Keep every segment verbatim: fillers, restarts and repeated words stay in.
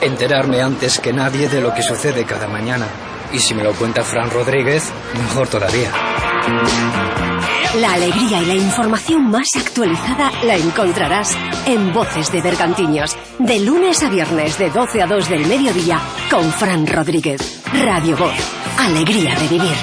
enterarme antes que nadie de lo que sucede cada mañana. Y si me lo cuenta Fran Rodríguez, mejor todavía. La alegría y la información más actualizada la encontrarás en Voces de Bergantiños, de lunes a viernes de doce a dos del mediodía, con Fran Rodríguez. Radio Voz, alegría de vivir.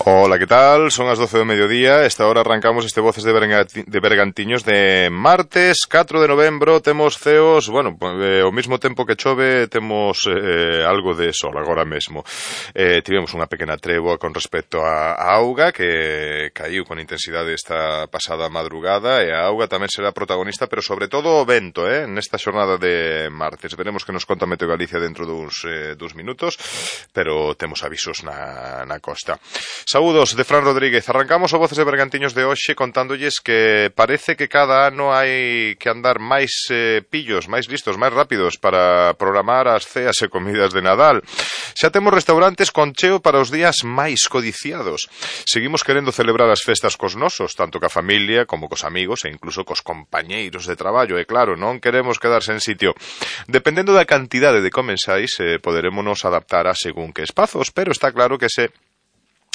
Hola, ¿qué tal? Son as doce do mediodía. Esta hora arrancamos este Voces de, Berganti de Bergantiños de martes catro de novembro. Temos ceos, bueno, eh, ao mesmo tempo que chove, temos eh, algo de sol agora mesmo. Eh, tivemos unha pequena tregua con respecto a, a auga que caiu con intensidade esta pasada madrugada, e a auga tamén será protagonista, pero sobre todo o vento, eh, nesta xornada de martes. Veremos que nos conta Meteo Galicia dentro duns, eh, duns minutos, pero temos avisos na, na costa. Saúdos de Fran Rodríguez. Arrancamos o Voces de Bergantiños de hoxe contándolles que parece que cada ano hai que andar máis eh, pillos, máis listos, máis rápidos para programar as ceas e comidas de Nadal. Xa temos restaurantes con cheo para os días máis codiciados. Seguimos querendo celebrar as festas cos nosos, tanto ca familia como cos amigos e incluso cos compañeiros de traballo. E claro, non queremos quedar sen sitio. Dependendo da cantidade de comensais, eh, poderémonos adaptar a según que espazos, pero está claro que se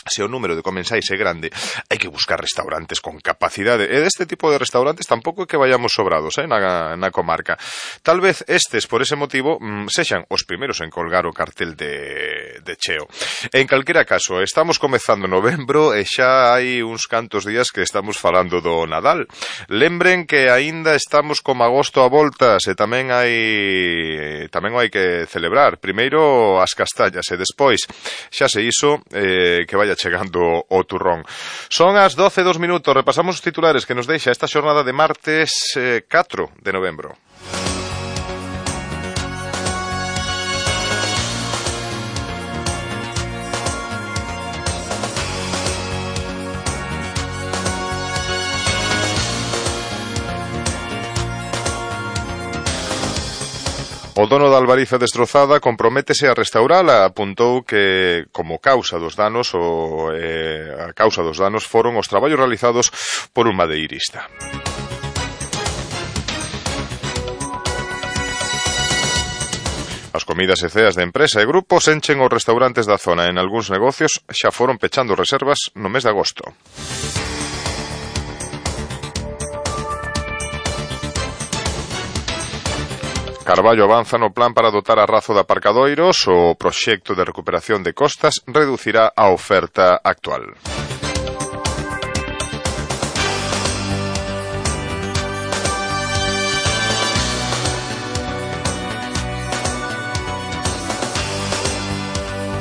se o número de comensais é grande, hai que buscar restaurantes con capacidade, e deste tipo de restaurantes tampouco é que vayamos sobrados eh, na, na comarca. Tal vez estes, por ese motivo, mmm, sexan os primeiros en colgar o cartel de, de cheo. En calquera caso, estamos comezando novembro e xa hai uns cantos días que estamos falando do Nadal. Lembren que aínda estamos como agosto a voltas e tamén hai tamén hai que celebrar. Primeiro as castañas e despois, xa se iso, eh, que vaya chegando o turrón. Son as doce e dos minutos. Repasamos os titulares que nos deixa esta xornada de martes eh, catro de novembro. O dono da Albariza destrozada comprométese a restaurala. Apuntou que, como causa dos danos, o, eh, a causa dos danos foron os traballos realizados por un madeirista. As comidas e ceas de empresa e grupos enchen os restaurantes da zona. En algúns negocios xa foron pechando reservas no mes de agosto. Carballo avanza no plan para dotar a Razo de aparcadoiros. O proxecto de recuperación de costas reducirá a oferta actual.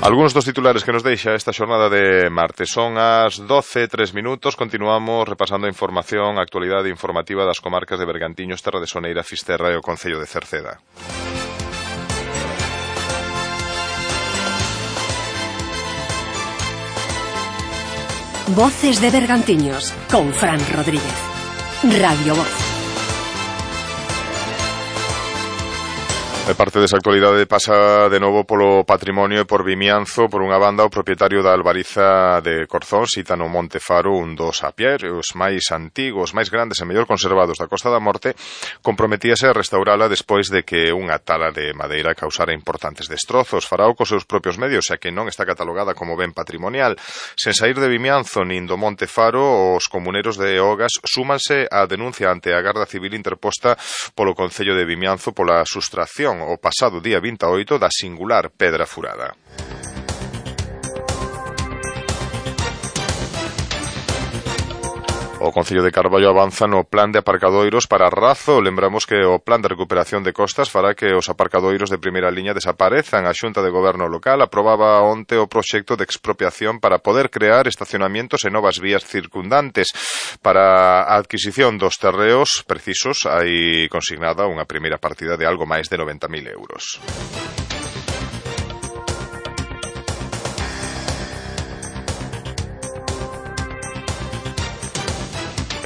Algúns dos titulares que nos deixa esta xornada de martes. Son as doce e tres minutos. Continuamos repasando a información, a actualidade informativa das comarcas de Bergantiños, Terra de Soneira, Fisterra e o Concello de Cerceda. Voces de Bergantiños, con Fran Rodríguez. Radio Voz. E parte desa actualidade pasa de novo polo patrimonio e por Vimianzo. Por unha banda, o propietario da Albariza de Corzón cita no Monte Faro un dos apiarios máis antigos, máis grandes e mellor conservados da Costa da Morte. Comprometíase a restaurala despois de que unha tala de madeira causara importantes destrozos. Farao cos seus propios medios, xa que non está catalogada como ben patrimonial. Sen saír de Vimianzo nin do Monte Faro, os comuneros de Ogas súmanse á denuncia ante a Garda Civil interposta polo Concello de Vimianzo pola sustracción o pasado día vinte e oito da singular pedra furada. O Concello de Carballo avanza no plan de aparcadoiros para Razo. Lembramos que o plan de recuperación de costas fará que os aparcadoiros de primeira liña desaparezan. A Xunta de Goberno local aprobaba onte o proxecto de expropiación para poder crear estacionamientos e novas vías circundantes. Para a adquisición dos terreos precisos hai consignada unha primeira partida de algo máis de noventa mil euros.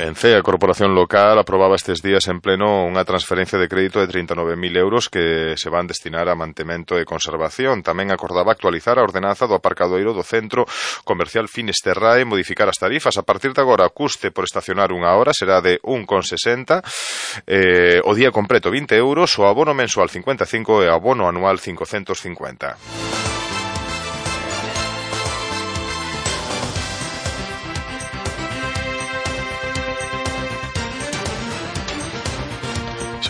En C E A, a Corporación Local, aprobaba estes días en pleno unha transferencia de crédito de trinta e nove mil euros que se van destinar a mantemento e conservación. Tamén acordaba actualizar a ordenanza do aparcadoiro do Centro Comercial Finisterrae e modificar as tarifas. A partir de agora, o custe por estacionar unha hora será de un con sesenta, eh, o día completo vinte euros, o abono mensual cincuenta e cinco e o abono anual cincocentos cincuenta.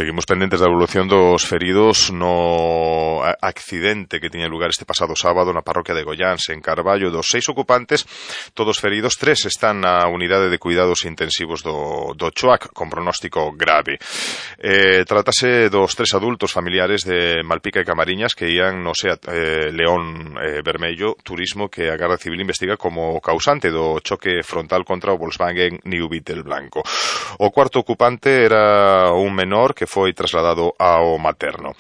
Seguimos pendentes da evolución dos feridos no accidente que tiña lugar este pasado sábado na parroquia de Goiáns, en Carballo. Dos seis ocupantes, todos feridos, tres están na unidade de cuidados intensivos do, do Choac, con pronóstico grave. Eh, tratase dos tres adultos familiares de Malpica e Camariñas que ían no SEAT eh, León eh, Vermello Turismo, que a Garda Civil investiga como causante do choque frontal contra o Volkswagen New Beetle blanco. O cuarto ocupante era un menor que foi trasladado ao materno.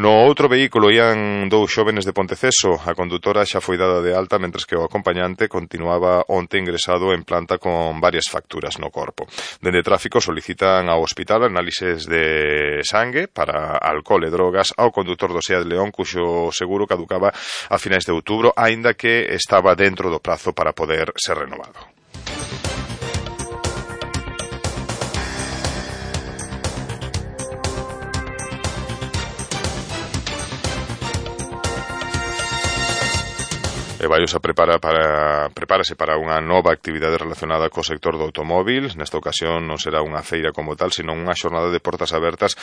No outro vehículo ían dous xóvenes de Ponteceso. A condutora xa foi dada de alta, mentres que o acompañante continuaba onte ingresado en planta con varias facturas no corpo. Dende Tráfico solicitan ao hospital análises de sangue para alcohol e drogas ao condutor do SEAT León, cuxo seguro caducaba a finais de outubro, aínda que estaba dentro do prazo para poder ser renovado. E Baios a prepara para, prepárase para unha nova actividade relacionada co sector do automóbil. Nesta ocasión non será unha feira como tal, sino unha xornada de portas abertas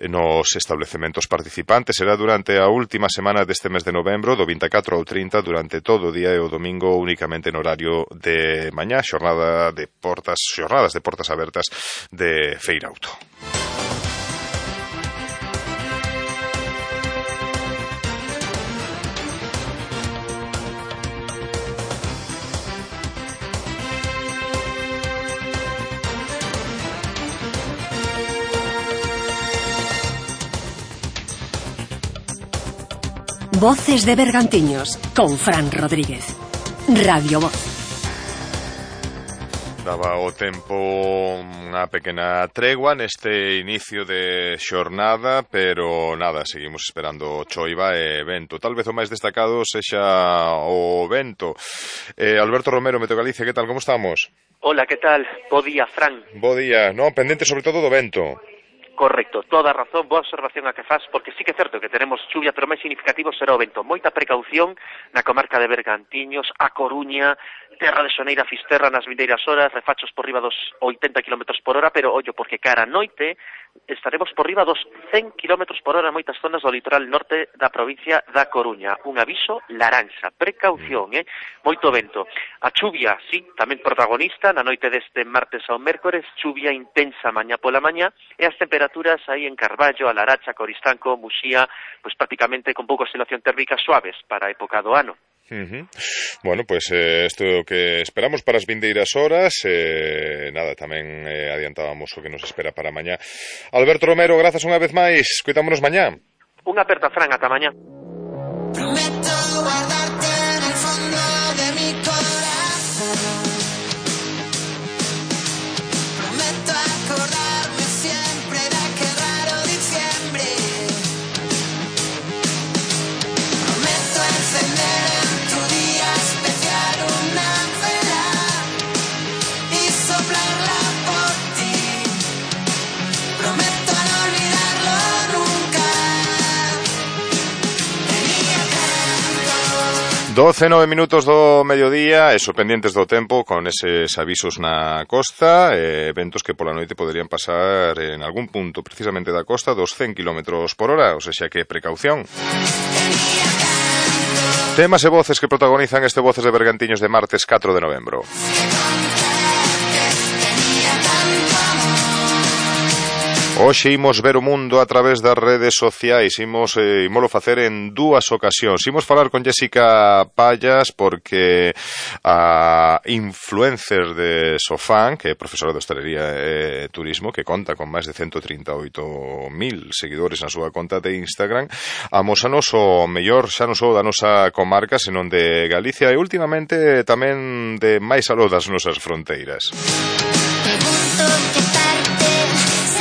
nos establecementos participantes. Será durante a última semana deste mes de novembro, do vinte e catro ao trinta, durante todo o día e o domingo únicamente en horario de mañá, xornada de portas, xornadas de portas abertas de Feira Auto. Voces de Bergantiños, con Fran Rodríguez. Radio Voz. Daba o tempo unha pequena tregua neste inicio de xornada, pero nada, seguimos esperando choiva e vento. Tal vez o máis destacado sexa o vento. Eh, Alberto Romero, Meteo Galicia, que tal, como estamos? Hola, que tal? Bo día, Fran. Bo día, no, pendente sobre todo do vento. Correcto, toda razón, boa observación a que faz, porque sí que é certo que tenemos chuvia, pero máis significativo será o vento. Moita precaución na comarca de Bergantiños, A Coruña, Terra de Soneira, Fisterra nas vindeiras horas, refachos por riba dos oitenta kilómetros por hora, pero ollo, porque cara a noite estaremos por riba dos cen kilómetros por hora en moitas zonas do litoral norte da provincia da Coruña. Un aviso laranxa, precaución, eh? Moito vento. A chuvia, sí, tamén protagonista, na noite deste martes ao mércores, chuvia intensa mañá pola mañá, e as temperaturas aí en Carballo, a Laracha, Coristanco, Muxía, pois prácticamente con pouca oscilación térmica suaves para a época do ano. Uh-huh. Bueno, pues eh, isto é o que esperamos para as vindeiras horas. eh, Nada, tamén eh, adiantábamos o que nos espera para mañá. Alberto Romero, grazas unha vez máis. Cuidámonos mañá. Unha aperta, Fran, ata mañá. Prometo guardarte en el fondo de mi corazón. Prometo acordarme siempre de aquel raro diciembre. Prometo encender en tu día especial una vela y soplarla por ti. Prometo no olvidarlo nunca. Tenía tanto. doce, nove minutos do mediodía, eso, pendientes do tempo, con eses avisos na costa, eh, ventos que pola noite poderían pasar en algún punto precisamente da costa dos cen kilómetros por hora, ou seja que precaución. Temas e voces que protagonizan este Voces de Bergantiños de martes catro de novembro. Hoxe imos ver o mundo a través das redes sociais, imos, eh, imolo facer en dúas ocasións. Imos falar con Jessica Pallas porque a influencer de Sofán, que é profesora de hostelería e turismo, que conta con máis de ciento trinta e oito mil seguidores na súa conta de Instagram, amósanos o mellor xa non só da nosa comarca, senón de Galicia e últimamente tamén de máis aló das nosas fronteiras. Pregunto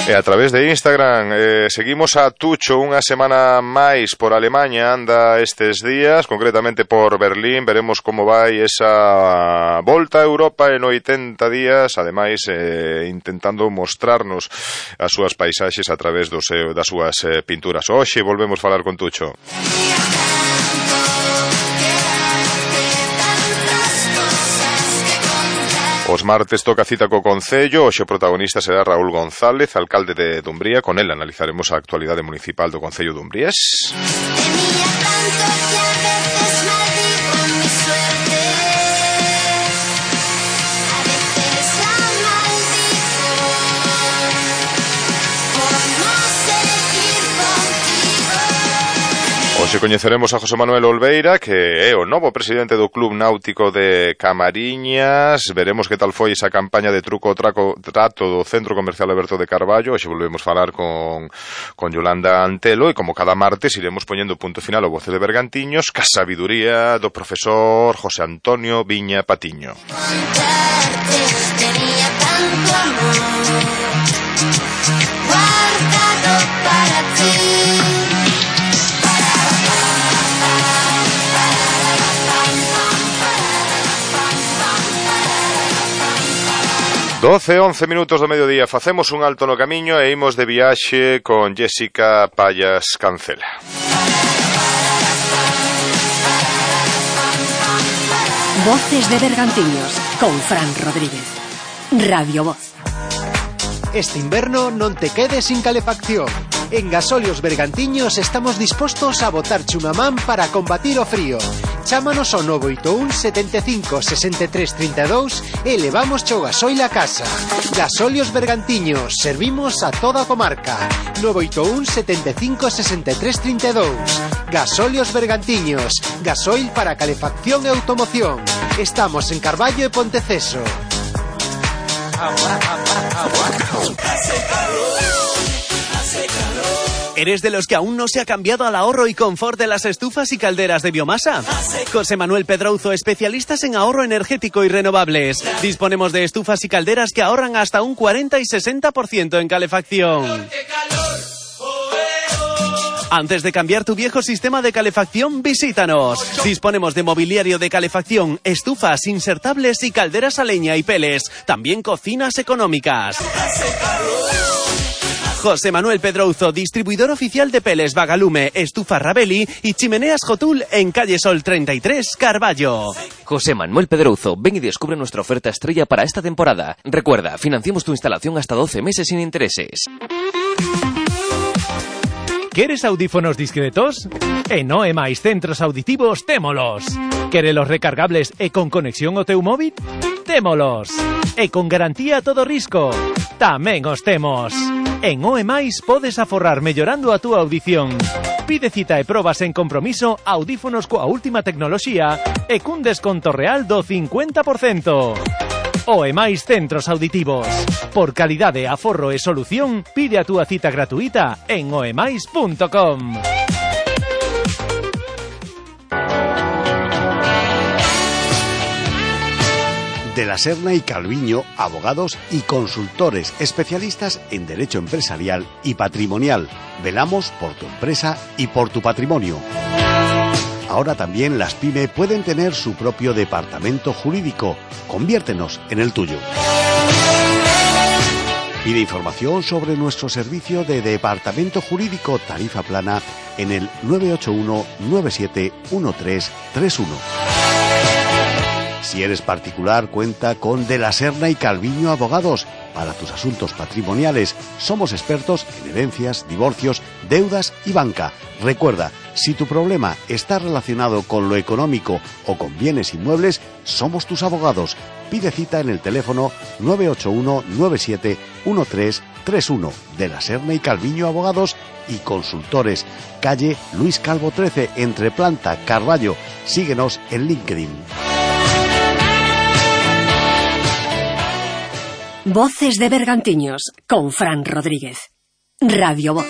E a través de Instagram eh, seguimos a Tucho unha semana máis por Alemanha, anda estes días, concretamente por Berlín. Veremos como vai esa volta a Europa en oitenta días, ademais eh, intentando mostrarnos as súas paisaxes a través do seu, das súas eh, pinturas. Hoxe volvemos falar con Tucho. Os martes toca cita co Concello. Hoxe o protagonista será Raúl González, alcalde de Dumbría. Con el analizaremos a actualidade municipal do Concello de Dumbrías. Tenía tanto que a veces maldigo mi suerte. A veces la maldigo por no seguir contigo. Hoxe coñeceremos a José Manuel Olveira, que é o novo presidente do Club Náutico de Camariñas. Veremos que tal foi esa campaña de truco o traco, trato do Centro Comercial Alberto de Carballo. Hoxe volvemos falar con, con Yolanda Antelo, e como cada martes iremos poñendo punto final ao Voces de Bergantiños ca sabiduría do profesor José Antonio Viña Patiño. Contarte, tenía tanto amor guardado para ti. doce, once minutos do mediodía. Facemos un alto no camiño e imos de viaxe con Jéssica Payas Cancela. Voces de Bergantiños con Fran Rodríguez. Radio Voz. Este inverno non te quedes sin calefacción. En Gasolios Bergantiños estamos dispostos a botarche unha man para combatir o frío. Chámanos ao nove oito un, setenta e cinco, sesenta e tres, trinta e dous e levamos o gasoil a casa. Gasolios Bergantiños, servimos a toda a comarca. nove oito un, setenta e cinco, sesenta e tres, trinta e dous. Gasolios Bergantiños, gasoil para calefacción e automoción. Estamos en Carballo e Ponteceso. ¿Eres de los que aún no se ha cambiado al ahorro y confort de las estufas y calderas de biomasa? José Manuel Pedrouzo, especialistas en ahorro energético y renovables. Disponemos de estufas y calderas que ahorran hasta un cuarenta y sesenta por ciento en calefacción. Antes de cambiar tu viejo sistema de calefacción, visítanos. Disponemos de mobiliario de calefacción, estufas insertables y calderas a leña y peles. También cocinas económicas. José Manuel Pedrouzo, distribuidor oficial de peles Vagalume, estufa Rabeli y chimeneas Jotul en calle Sol treinta y tres, Carballo. José Manuel Pedrouzo, ven y descubre nuestra oferta estrella para esta temporada. Recuerda, financiamos tu instalación hasta doce meses sin intereses. ¿Queres audífonos discretos? En O E máis Centros Auditivos témolos. ¿Queres los recargables e con conexión ao teu móvil? Témolos. E con garantía a todo risco. Tamén os temos. En O E máis podes aforrar mellorando a túa audición. Pide cita e probas en compromiso audífonos coa última tecnoloxía e cun desconto real do cincuenta por cento. O E máis Centros Auditivos. Por calidade, aforro e solución, pide a túa cita gratuita en oemais punto com. De la Serna y Calviño, abogados y consultores especialistas en derecho empresarial y patrimonial. Velamos por tu empresa y por tu patrimonio. Ahora también las PYME pueden tener su propio departamento jurídico. Conviértenos en el tuyo. Pide información sobre nuestro servicio de departamento jurídico tarifa plana en el nueve ocho uno, nueve siete uno tres tres uno. Si eres particular, cuenta con De la Serna y Calviño Abogados. Para tus asuntos patrimoniales, somos expertos en herencias, divorcios, deudas y banca. Recuerda, si tu problema está relacionado con lo económico o con bienes inmuebles, somos tus abogados. Pide cita en el teléfono nueve ocho uno, nueve siete uno tres tres uno. De la Serna y Calviño Abogados y Consultores. Calle Luis Calvo trece, entre Planta, Carballo. Síguenos en LinkedIn. Voces de Bergantiños con Fran Rodríguez. Radio Voz.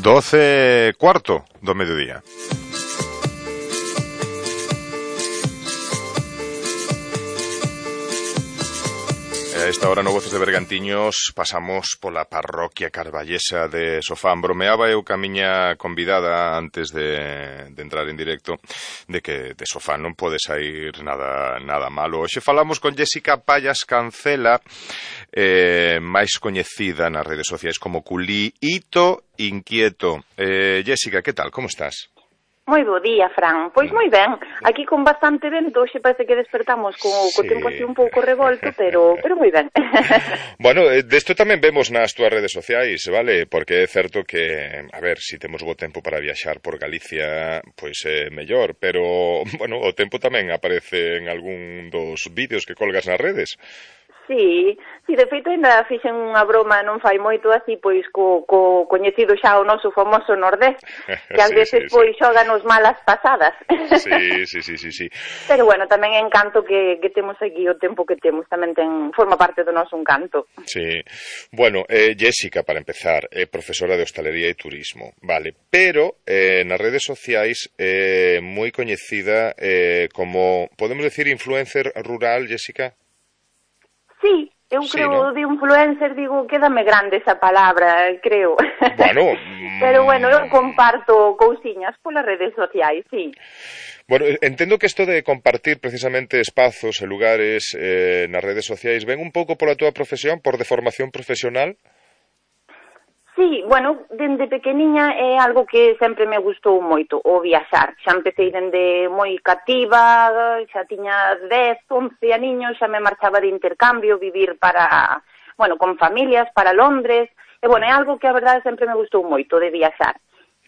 doce cuarto do mediodía. A esta hora no Voces de Bergantiños pasamos pola parroquia carballesa de Sofán. Bromeaba eu ca miña convidada antes de, de entrar en directo de que de Sofán non pode sair nada nada malo. Hoxe falamos con Jéssica Payas Cancela, eh, máis coñecida nas redes sociais como Culiito Inquieto. Eh, Jéssica, que tal? Como estás? Moi bo día, Fran. Pois moi ben. Aquí con bastante vento, hoxe parece que despertamos co, co sí. tempo así un pouco revolto, pero pero moi ben. Bueno, desto tamén vemos nas túas redes sociais, vale? Porque é certo que, a ver, si temos bo tempo para viaxar por Galicia, pois é eh, mellor, pero, bueno, o tempo tamén aparece en algún dos vídeos que colgas nas redes. Sí, sí, de feito ainda fixen unha broma non fai moito así, pois co, co coñecido xa o noso famoso Nordés, que ás sí, veces sí, pois sí. xoganos malas pasadas. Sí, sí, sí, sí, sí. Pero bueno, tamén é encanto que, que temos aquí o tempo que temos, tamén ten, forma parte do noso encanto. Sí, bueno, eh, Jéssica, para empezar, é profesora de hostalería e turismo, vale, pero eh, nas redes sociais é eh, moi coñecida eh, como, podemos decir, influencer rural, Jéssica? Sí, eu sí, creo, ¿no? De influencer, digo, quédame grande esa palabra, creo. Bueno. Pero bueno, eu comparto cousiñas polas redes sociais, sí. Bueno, entendo que isto de compartir precisamente espazos e lugares eh, nas redes sociais ven un pouco pola túa profesión, por deformación profesional? Sí, bueno, dende pequeniña é algo que sempre me gustou moito, o viaxar. Xa empecé dende moi cativa, xa tiña dez, once aniños, xa me marchaba de intercambio, vivir para, bueno, con familias, para Londres. E, bueno, é algo que a verdade sempre me gustou moito, de viaxar.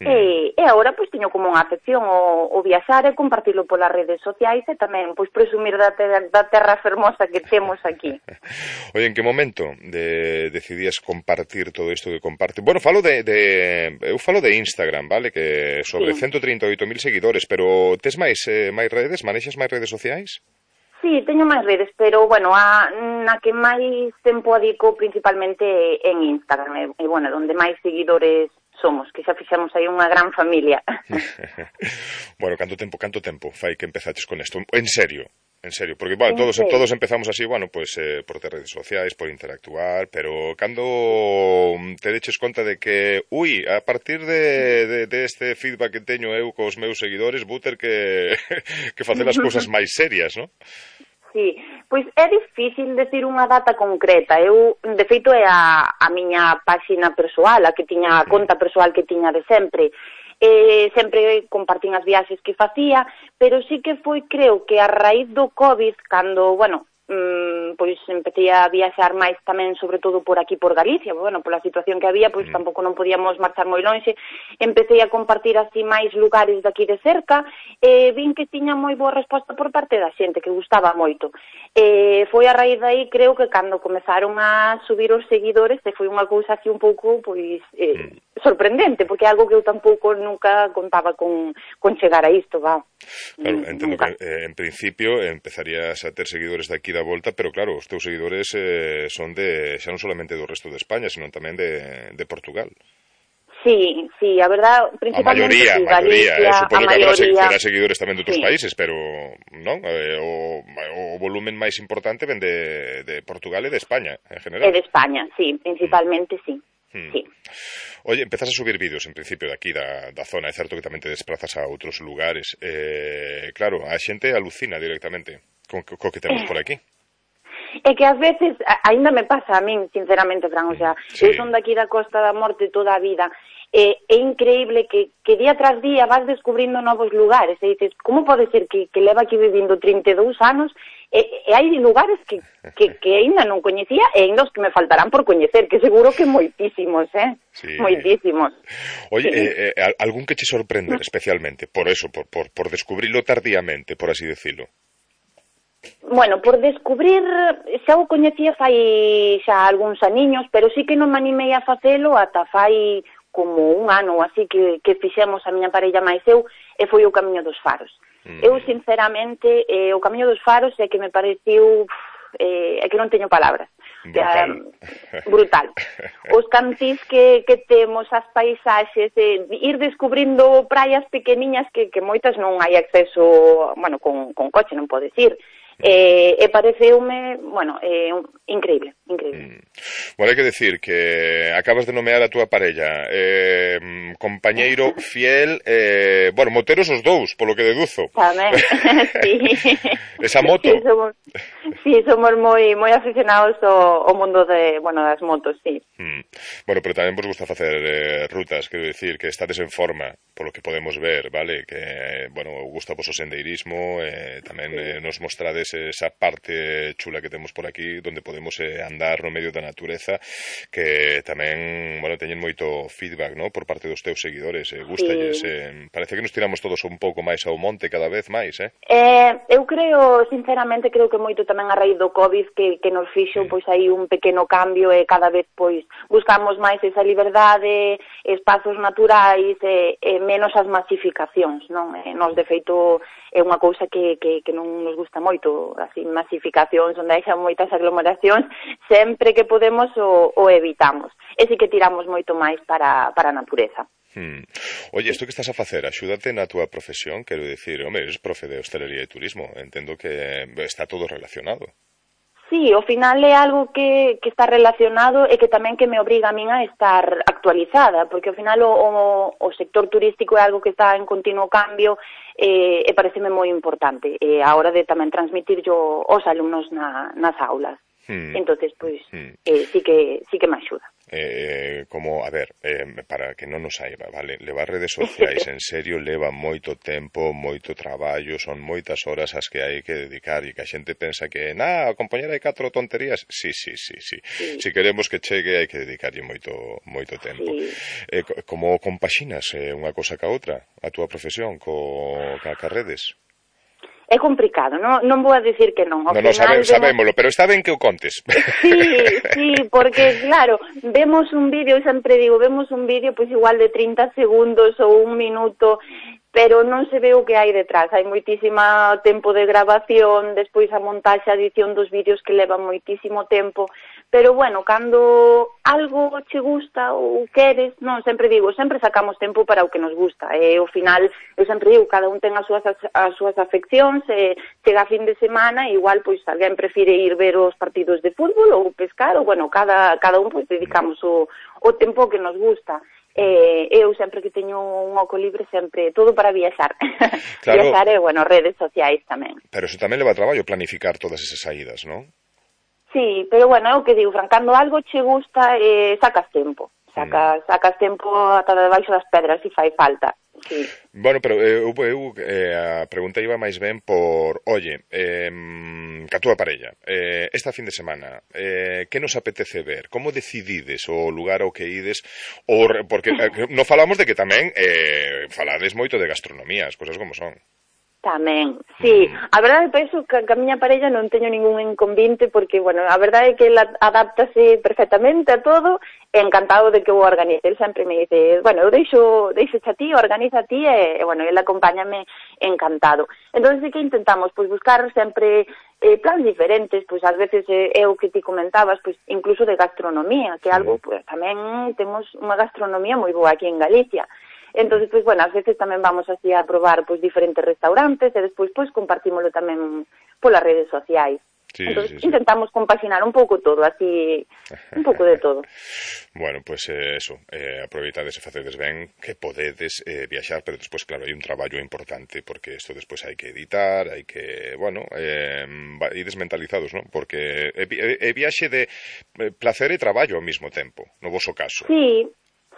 Mm. E, e agora, pois, teño como unha afección o, o viaxar e compartilo polas redes sociais e tamén, pois, presumir da terra, da terra fermosa que temos aquí. Oye, en que momento de, decidías compartir todo isto que comparte? Bueno, falo de, de eu falo de Instagram, vale? Que sobre sí. ciento trinta e oito mil seguidores, pero tes máis, eh, máis redes? Manexas máis redes sociais? Sí, teño máis redes, pero, bueno, a, na que máis tempo adico principalmente en Instagram, e, e bueno, onde máis seguidores somos, que xa fixemos aí unha gran familia. Bueno, canto tempo, canto tempo fai que empezaches con isto? En serio, en serio, porque, bueno, todos, todos empezamos así, bueno, pues eh, por ter redes sociais, por interactuar, pero cando te deches conta de que, ui, a partir de, de, de este feedback que teño eu cos meus seguidores, vou ter que, que facer as cousas máis serias, non? Sí, pois é difícil decir unha data concreta. Eu, de feito, é a, a miña páxina persoal, a que tiña a conta persoal que tiña de sempre. Eh, sempre compartín as viaxes que facía, pero sí que foi, creo, que a raíz do COVID, cando, bueno, mm, pois empecé a viaxar máis tamén, sobre todo por aquí, por Galicia, bueno, pola situación que había, pois tampouco non podíamos marchar moi lonxe, empecé a compartir así máis lugares daqui de cerca, e vin que tiña moi boa resposta por parte da xente, que gustaba moito. E foi a raíz daí, creo que cando comezaron a subir os seguidores, e foi unha cousa así un pouco, pois, eh, sorprendente, porque é algo que eu tampouco nunca contaba con, con chegar a isto, va. Claro, entendo nunca. Que eh, en principio empezarías a ter seguidores de aquí da volta, pero claro, os teus seguidores eh, son de, xa non solamente do resto de España, sino tamén de, de Portugal. Sí, sí, a verdad, principalmente a maioría, sí, Galicia, Galicia, eh, supoño a que habrá, maioría... habrá seguidores tamén de outros sí. países, pero non, eh, o, o volumen máis importante ven de, de Portugal e de España, en general. E de España, sí, principalmente sí. Hmm. Sí. Oye, empezas a subir vídeos en principio de aquí da, da zona, é certo que tamén te desplazas a outros lugares. Eh, claro, a xente alucina directamente co, co que temos por aquí. É que ás veces, aínda me pasa a min, sinceramente, Fran, o sea, sí. Eu son daqui da Costa da Morte toda a vida, e é increíble que, que día tras día vas descubrindo novos lugares, e dices, como pode ser que, que leva aquí vivindo trinta e dous anos, e, e hai lugares que, que, que aínda non coñecía, e aínda os que me faltarán por coñecer, que seguro que moitísimos, eh? Sí. Moitísimos. Oye, sí. eh, eh, algún que che sorprender especialmente, por eso, por, por, por descubrirlo tardíamente, por así decirlo? Bueno, por descubrir, xa o coñecía fai xa algúns aniños, pero sí que non me animei a facelo ata fai como un ano ou así que, que fixemos a miña parella máis eu, e foi o Camiño dos Faros. Mm. Eu, sinceramente, eh, o Camiño dos Faros é que me pareciu, eh, é que non teño palabras. Brutal. Eh, brutal. Os cantís que, que temos, as paisaxes, eh, ir descubrindo praias pequeniñas que, que moitas non hai acceso, bueno, con, con coche non podes ir. e, e pareceume, bueno, eh, increíble, increíble. Mm. Bueno, hai que decir que acabas de nomear a túa parella, eh, compañeiro fiel, eh, bueno, moteros os dous, polo que deduzo. Tamén, sí. Esa moto. Sí, somos, sí, somos moi moi aficionados ao, ao mundo de, bueno, das motos, sí. Mm. Bueno, pero tamén vos gusta facer eh, rutas, quero decir, que estades en forma, polo que podemos ver, vale? Que, bueno, gusta vos o sendeirismo, eh, tamén eh, nos mostrades esa parte chula que temos por aquí, donde podemos eh, andar no medio da natureza, que tamén, bueno, teñen moito feedback, ¿no?, por parte dos teus seguidores, eh, gustalles, sí. eh, parece que nos tiramos todos un pouco máis ao monte cada vez máis, eh? Eh, eu creo, sinceramente, creo que moito tamén a raíz do COVID que, que nos fixo, pois, aí un pequeno cambio e cada vez, pois, buscamos máis esa liberdade, espazos naturais e, e menos as masificacións, non? E nos, de feito, é unha cousa que, que, que non nos gusta moito, así, masificacións, onde hai moitas aglomeracións, sempre que podemos o, o evitamos. E si que tiramos moito máis para, para a natureza. Hmm. Oye, isto que estás a facer, axúdate na túa profesión, quero dicir, home, eres profe de hostelería e turismo, entendo que está todo relacionado. Sí, ao final é algo que, que está relacionado e que tamén que me obriga a min a estar actualizada, porque ao final o, o, o sector turístico é algo que está en continuo cambio e, e pareceme moi importante e a hora de tamén transmitir yo aos alumnos na, nas aulas. Hmm. Entonces, pois, hmm. eh, sí que sí que me axuda. Eh, como, a ver, eh, para que non nos saiba, vale, levar redes sociais en serio leva moito tempo, moito traballo, son moitas horas as que hai que dedicar e que a xente pensa que, na, a compañera hai catro tonterías, sí, sí, sí, sí, sí. Si queremos que chegue hai que dedicarlle moito moito tempo. Sí. Eh, como compaxinas eh, unha cosa ca outra, a túa profesión co, ca, ca redes? É complicado, non, non vou a decir que non. Ao no, no, sabe, sabémolo, pero está ben que o contes. Sí, sí, porque, claro, vemos un vídeo, eu sempre digo, vemos un vídeo, pois igual de trinta segundos ou un minuto, pero non se ve o que hai detrás. Hai moitísima tempo de grabación, despois a montaxe, a edición dos vídeos que levan moitísimo tempo, pero, bueno, cando algo che gusta ou queres, non, sempre digo, sempre sacamos tempo para o que nos gusta, e ao final, eu sempre digo, cada un ten as súas, as súas afeccións, e chega a fin de semana, e igual, pois, alguén prefire ir ver os partidos de fútbol ou pescar, ou, bueno, cada, cada un, pois, dedicamos o, o tempo que nos gusta. Eh, eu sempre que teño un oco libre, sempre, todo para viaxar. Claro. Viaxar e, bueno, redes sociais tamén. Pero eso tamén leva traballo planificar todas esas saídas, non? Sí, pero bueno, é o que digo, Fran, cando algo che gusta, eh, sacas tempo. Sacas, mm. sacas tempo ata debaixo das pedras, se fai falta. Sí. Bueno, pero eu, eu eh, a pregunta iba máis ben por, oye, eh, ca túa parella, eh, esta fin de semana, eh, que nos apetece ver? Como decidides o lugar ao que ides? O, porque eh, non falamos de que tamén eh, falades moito de gastronomía, as cousas como son. Tamén, sí. A verdade é penso que a miña parella non teño ningún inconvinte porque, bueno, a verdade é que ela adáptase perfectamente a todo e encantado de que o organice. Ele sempre me dice, bueno, eu deixo, deixo a ti, organiza a ti e, e bueno, ele acompáñame encantado. Entón, sí que intentamos, pois, buscar sempre eh, plans diferentes, pois, ás veces eh, é o que ti comentabas, pois, incluso de gastronomía, que é algo, pois, tamén temos unha gastronomía moi boa aquí en Galicia. Entonces, pois, bueno, ás veces tamén vamos así a probar, pois, diferentes restaurantes e despois, pois, compartímoslo tamén polas redes sociais. Sí, entonces, sí, sí. Intentamos compaxinar un pouco todo, así, un pouco de todo. Bueno, pois pues, eh, eso, eh, aproveitades e facedes ben que podedes eh, viaxar, pero despois, claro, hai un traballo importante, porque isto despois hai que editar, hai que, bueno, eh, ides mentalizados, non? Porque é, é, é viaxe de placer e traballo ao mesmo tempo, no voso caso. Sí.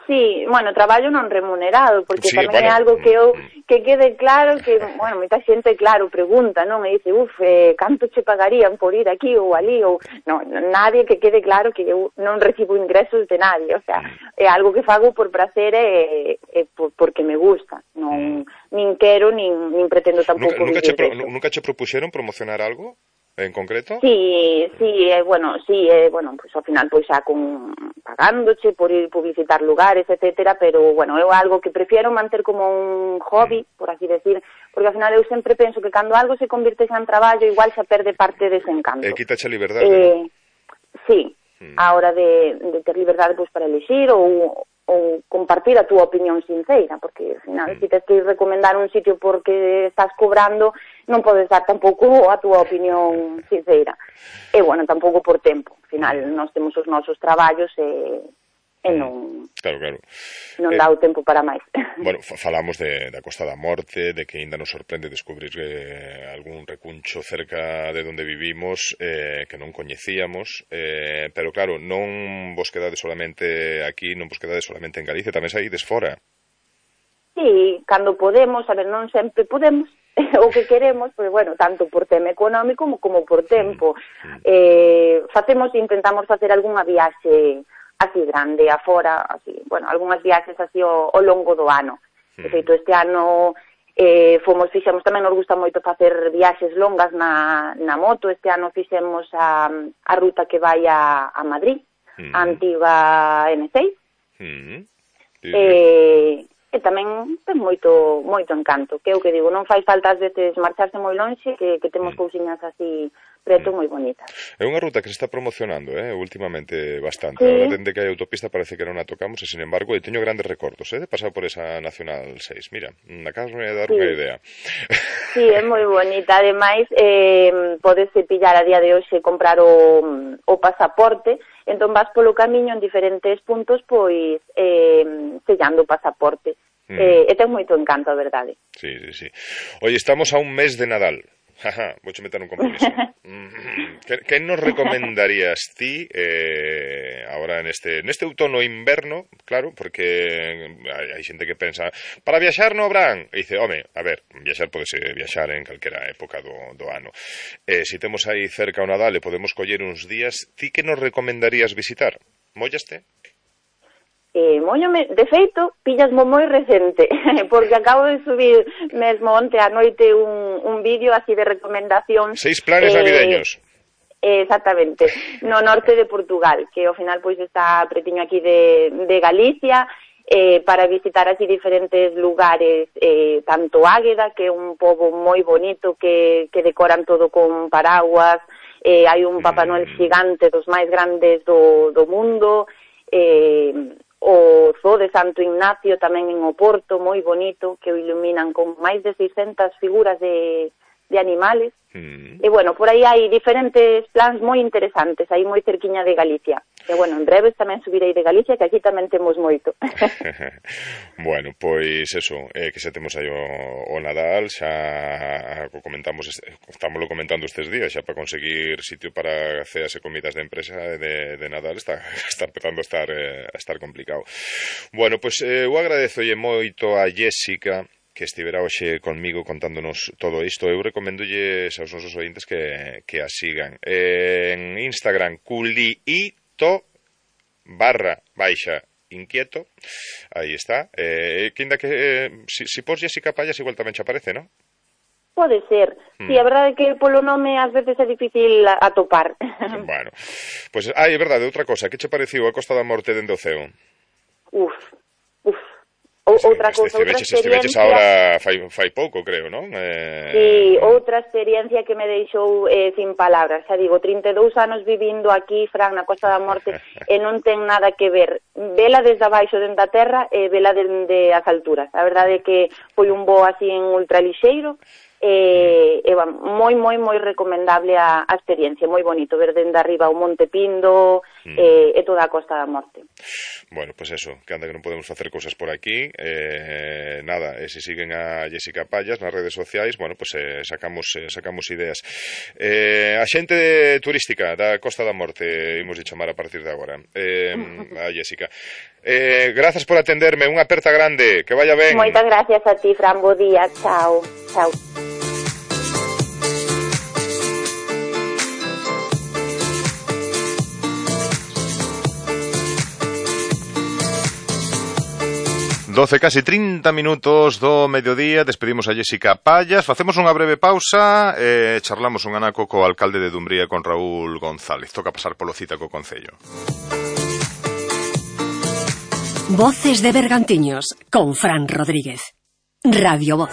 Sí, bueno, traballo non remunerado, porque sí, tamén bueno, é algo que eu que quede claro que, bueno, moita xente, claro, pregunta, non? E dice, uf, eh, canto che pagarían por ir aquí ou ali, ou... Non, nadie, que quede claro que eu non recibo ingresos de nadie, o sea, é algo que fago por prazer e, e por, porque me gusta, non, nin quero, nin, nin pretendo tampouco nunca, nunca vivir che pro, de eso. Nunca che propuxeron promocionar algo? En concreto? Sí, sí, eh, bueno, sí, eh, bueno, pues ao final pois xa con pagándoche por ir publicitar lugares, etcétera, pero bueno, é algo que prefiero manter como un hobby, por así decir, porque ao final eu sempre penso que cando algo se convirte xa en traballo, igual xa perde parte dese encanto. E quitache a liberdade, eh, ¿no? Sí, mm. a hora de, de ter liberdade pois, para elegir ou, ou compartir a túa opinión sincera, porque, ao final, mm. se tes que recomendar un sitio porque estás cobrando, non podes dar tampouco a túa opinión sincera. E, bueno, tampouco por tempo. Ao final, nós temos os nosos traballos e... e non, claro, claro. non eh, dá o tempo para máis. Bueno, falamos de, da Costa da Morte, de que ainda nos sorprende descubrir eh, algún recuncho cerca de onde vivimos eh, que non coñecíamos, eh, pero claro, non vos quedades solamente aquí, non vos quedades solamente en Galicia, tamén saídes fora. Sí, cando podemos, a ver, non sempre podemos, o que queremos, pois, bueno, tanto por tema económico como, como por tempo. Mm. Eh, facemos, intentamos facer algunha viaxe así grande, afora, así, bueno, algunhas viaxes así ao, ao longo do ano. De feito, este ano eh, fomos, fixemos, tamén nos gusta moito facer viaxes longas na, na moto. Este ano fixemos a, a ruta que vai a, a Madrid, mm. a antiga ene seis. Mm. Eh, e tamén ten moito moito encanto, que é o que digo, non fai falta ás veces marcharse moi lonxe, que, que temos mm. cousiñas así preto moi bonitas. É unha ruta que se está promocionando, eh, últimamente bastante. Sí. Agora, dende que hai autopista, parece que non a tocamos, e, sin embargo, eu teño grandes recordos, eh, de pasar por esa Nacional seis. Mira, acabasme de dar sí. unha idea. Sí, é moi bonita. Ademais, eh, podese pillar a día de hoxe, comprar o, o pasaporte, entón vas polo camiño en diferentes puntos, pois, eh, sellando o pasaporte. Mm. Eh, e ten moito encanto, a verdade. Sí, sí, sí. Oye, estamos a un mes de Nadal. Jaja, vou che meter un compromiso. que, que nos recomendarías ti eh, ahora neste neste outono inverno, claro, porque hai, hai xente que pensa para viaxar no habrán, e dice, home, a ver, viaxar podese viaxar en calquera época do, do ano. Eh, se temos aí cerca o Nadal e podemos coller uns días, ti que nos recomendarías visitar? Mollaste? Eh, moñome, de feito, pillasmo moi recente, porque acabo de subir mesmo onte a noite un, un vídeo así de recomendacións. Seis planes eh, navideños. Exactamente, no norte de Portugal, que ao final pois está pretiño aquí de, de Galicia, eh, para visitar así diferentes lugares, eh, tanto Águeda, que é un pobo moi bonito, que, que decoran todo con paraguas, eh, hai un Papá Noel xigante dos máis grandes do, do mundo, eh, o Zoo de Santo Ignacio tamén en Oporto, moi bonito, que o iluminan con máis de seiscentas figuras de, de animales. Mm. E, bueno, por aí hai diferentes plans moi interesantes, aí moi cerquiña de Galicia. E, bueno, en breves tamén subirei de Galicia, que aquí tamén temos moito. Bueno, pois eso, eh, que xa temos aí o, o Nadal, xa comentamos, estámoslo comentando estes días, xa para conseguir sitio para ceas e comidas de empresa de, de Nadal está, está empezando a estar, eh, a estar complicado. Bueno, pois eh, eu agradezolle moito a Jéssica que estivera hoxe conmigo contándonos todo isto. Eu recomendolle aos nosos ointes que, que a sigan. Eh, en Instagram, culiito barra baixa inquieto. Aí está. Eh, que inda que, eh, si, si pos Jéssica Pallas, igual tamén che aparece, non? Pode ser. Mm. Sí, a verdade é que polo nome ás veces é difícil atopar. Bueno, pois, pues, ah, é verdade, outra cosa. Que che pareceu a Costa da Morte dende o ceo? Uf, uf. O, outra cousa, outra experiencia... Estiveches agora fai, fai pouco, creo, non? Eh... Sí, outra experiencia que me deixou eh, sin palabras. Xa digo, trinta e dous anos vivindo aquí, Fran, na Costa da Morte, e non ten nada que ver. Vela desde abaixo, dentro da terra, e vela dende as alturas. A verdade é que foi un voo así en ultralixeiro, e, e moi, moi, moi recomendable a, a experiencia, moi bonito, ver dende arriba o Monte Pindo mm. e, e toda a Costa da Morte. Bueno, pues eso, que anda que non podemos facer cousas por aquí, eh, nada, e se siguen a Jéssica Pallas nas redes sociais, bueno, pues eh, sacamos eh, sacamos ideas. Eh, a xente turística da Costa da Morte, imos de chamar a partir de agora, eh, a Jéssica. Eh, grazas por atenderme, unha aperta grande, que vaya ben. Moitas gracias a ti, Fran, bo día, chao, chao. doce, casi trinta minutos do mediodía, despedimos a Jéssica Pallas, facemos unha breve pausa e eh, charlamos un anaco co alcalde de Dumbría, con Raúl González. Toca pasar polo cita co Concello. Voces de Bergantiños, con Fran Rodríguez. Radio Voz.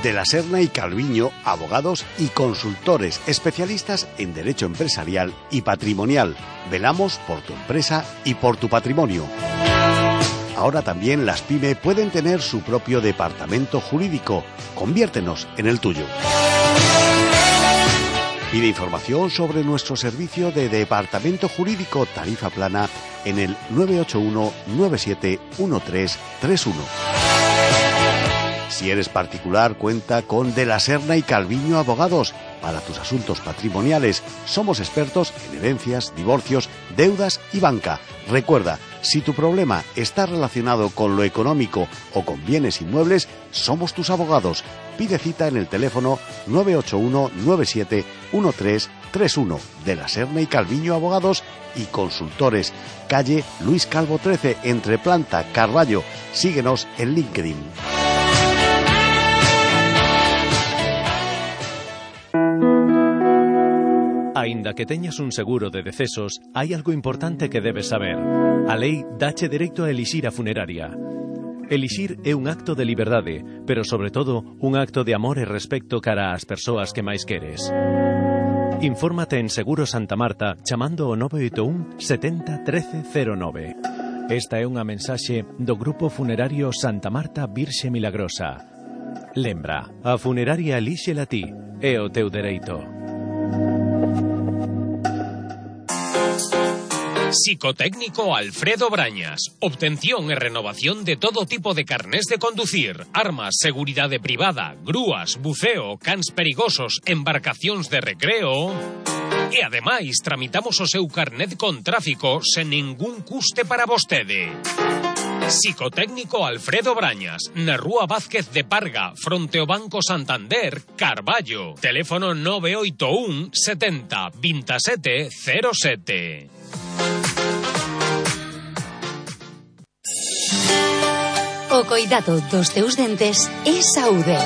De la Serna y Calviño, abogados y consultores especialistas en derecho empresarial y patrimonial. Velamos por tu empresa y por tu patrimonio. Ahora también las PYME pueden tener su propio departamento jurídico. Conviértenos en el tuyo. Pide información sobre nuestro servicio de departamento jurídico tarifa plana en el nueve ocho uno nueve siete uno tres tres uno. Si eres particular, cuenta con De la Serna y Calviño Abogados. Para tus asuntos patrimoniales, somos expertos en herencias, divorcios, deudas y banca. Recuerda, si tu problema está relacionado con lo económico o con bienes inmuebles, somos tus abogados. Pide cita en el teléfono nueve ocho uno nueve siete uno tres tres uno. De la Serna y Calviño Abogados y Consultores. Calle Luis Calvo trece, entre Planta, Carballo. Síguenos en LinkedIn. Aínda que teñas un seguro de decesos, hai algo importante que debes saber. A lei dache dereito a elixir a funeraria. Elixir é un acto de liberdade, pero sobre todo un acto de amor e respecto cara ás persoas que máis queres. Infórmate en Seguro Santa Marta chamando ao nove oito un setenta trece cero nove. Esta é unha mensaxe do Grupo Funerario Santa Marta Virxe Milagrosa. Lembra, a funeraria elíxela ti, é o teu dereito. Psicotécnico Alfredo Brañas. Obtención e renovación de todo tipo de carnés de conducir, armas, seguridade privada, grúas, buceo, cans perigosos, embarcacións de recreo. E ademais tramitamos o seu carnet con tráfico sen ningún custe para vostede. Psicotécnico Alfredo Brañas, na Rúa Vázquez de Parga, fronte ao Banco Santander, Carballo. Teléfono nove oito un setenta veintisiete cero sete. O coidado dos teus dentes é saúde.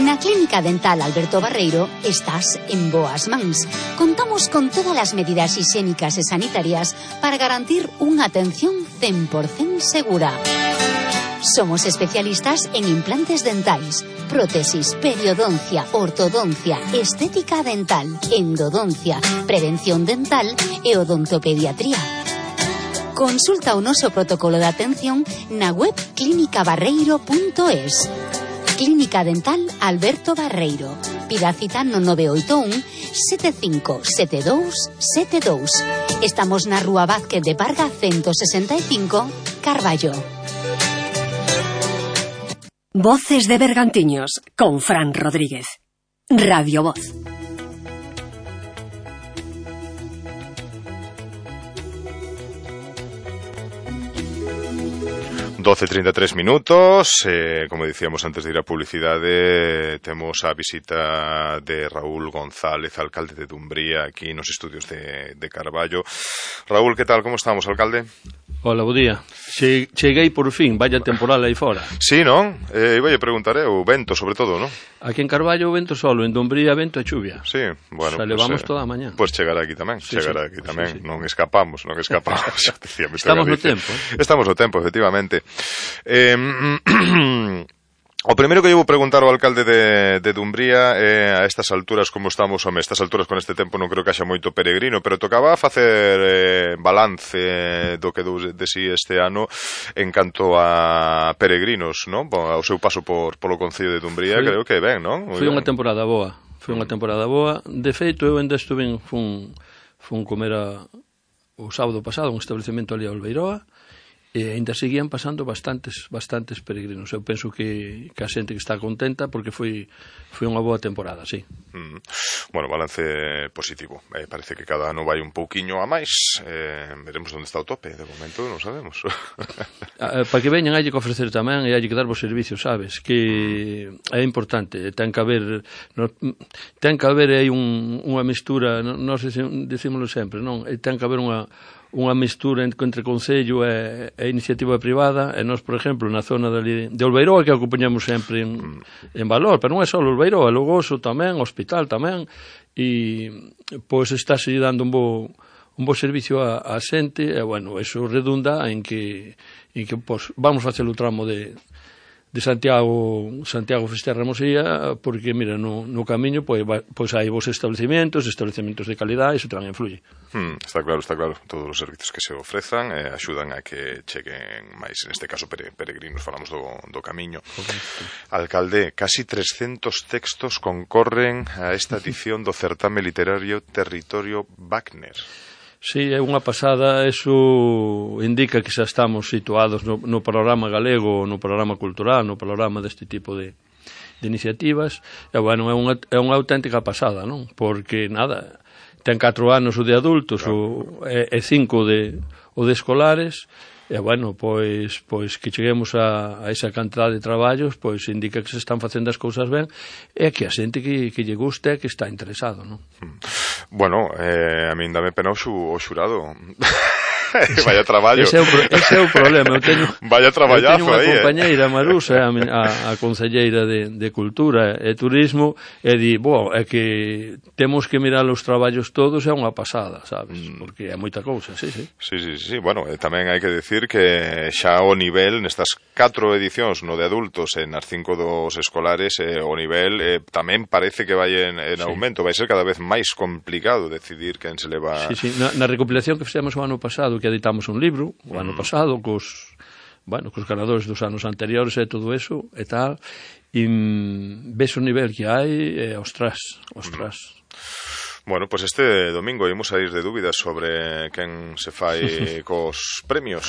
Na Clínica Dental Alberto Barreiro estás en boas mans. Contamos con todas as medidas higiénicas e sanitarias para garantir unha atención cen por cento segura. Somos especialistas en implantes dentais, prótesis, periodoncia, ortodoncia, estética dental, endodoncia, prevención dental e odontopediatría. Consulta o noso protocolo de atención na web clínica barreiro punto es. Clínica Dental Alberto Barreiro. Pida cita no nove oito un sete cinco sete dous sete dous. Estamos na Rúa Vázquez de Parga ciento sesenta e cinco, Carballo. Voces de Bergantiños con Fran Rodríguez. Radio Voz. doce e trinta e tres minutos, eh, como dicíamos antes de ir a publicidade, temos a visita de Raúl González, alcalde de Dumbría, aquí nos estudios de, de Carballo. Raúl, que tal, como estamos, alcalde? Hola, bo día. Che, cheguei por fin, vaya temporal aí fora. Sí, non? Eh, iba a preguntar, eh, o vento, sobre todo, non? Aquí en Carballo o vento solo, en Dumbría vento e chuvia. Sí, bueno. O sea, levamos pues, eh, toda a mañá. Pois pues chegará aquí tamén, sí, chegará sí, aquí tamén. Sí, sí. Non escapamos, non escapamos. Decía, Estamos no tempo. Eh? Estamos no tempo, efectivamente. Eh, o primeiro que eu vou preguntar ao alcalde de, de Dumbría é eh, a estas alturas como estamos, home, estas alturas con este tempo non creo que haxa moito peregrino, pero tocaba facer eh, balance do que dou de si este ano en canto a peregrinos, non? Ao seu paso por polo concello de Dumbría, creo que ben, non? Foi unha temporada boa, foi unha temporada boa. De feito, eu ainda estuve fun, fun comer a, o sábado pasado un establecemento ali a Olveiroa, e ainda seguían pasando bastantes bastantes peregrinos. Eu penso que, que a xente que está contenta porque foi foi unha boa temporada, sí. Mm. Bueno, balance positivo. Eh, parece que cada ano vai un pouquiño a máis. Eh, veremos onde está o tope. De momento non sabemos. Para que veñan hai que ofrecer tamén e hai que dar vos servicios, sabes? Que é importante. Ten que haber no, ten que haber aí un, unha mistura, nós decímoslo sempre, non? Ten que haber unha unha mistura entre concello e, e iniciativa privada, e nós, por exemplo, na zona de, de Olveiroa, que acompañamos sempre en, en valor, pero non é só Olveiroa, Logoso tamén, Hospital tamén, e pois está se dando un bo, un bo servicio a, a xente, e bueno, eso redunda en que, en que pois, vamos facer o tramo de de Santiago Santiago Fisterra Mosía, porque, mira, no, no camiño pois, pois hai vos establecementos, establecementos de calidad, iso tamén influye. Hmm, está claro, está claro. Todos os servizos que se ofrezan eh, axudan a que cheguen máis, neste caso, pere, peregrinos, falamos do, do camiño. Correcto. Alcalde, casi trescentos textos concorren a esta edición do certame literario Territorio Wagner. Sí, é unha pasada, eso indica que xa estamos situados no, no programa galego, no programa cultural, no programa deste tipo de, de iniciativas, e, bueno, é unha, é unha auténtica pasada, non? Porque, nada, ten catro anos o de adultos, o, e, e cinco de, o de escolares, e, bueno, pois, pois que cheguemos a, a esa cantidad de traballos, pois indica que se están facendo as cousas ben, e que a xente que, que lle guste é que está interesado, non? Bueno, eh, a min dame pena o, xu, o xurado. Vaya traballo. Ese é o, ese é o problema. Eu teño, Vaya traballazo eu teño unha aí, compañeira, eh? Marusa, a, a, a concelleira de, de Cultura e Turismo, e di, bo, é que temos que mirar os traballos todos, é unha pasada, sabes? Mm. Porque é moita cousa, sí, sí. Sí, sí, sí. Bueno, eh, tamén hai que decir que xa o nivel nestas catro edicións, no de adultos e nas cinco dos escolares, eh, o nivel eh, tamén parece que vai en, en sí. aumento. Vai ser cada vez máis complicado decidir quen se leva... Sí, sí. Na, na recopilación que fixemos o ano pasado, que editamos un libro o ano pasado cos, bueno, cos ganadores dos anos anteriores e todo eso e tal, e mm, ves o nivel que hai e ostras, ostras. Bueno, pois pues este domingo imos a ir de dúbidas sobre quen se fai cos premios.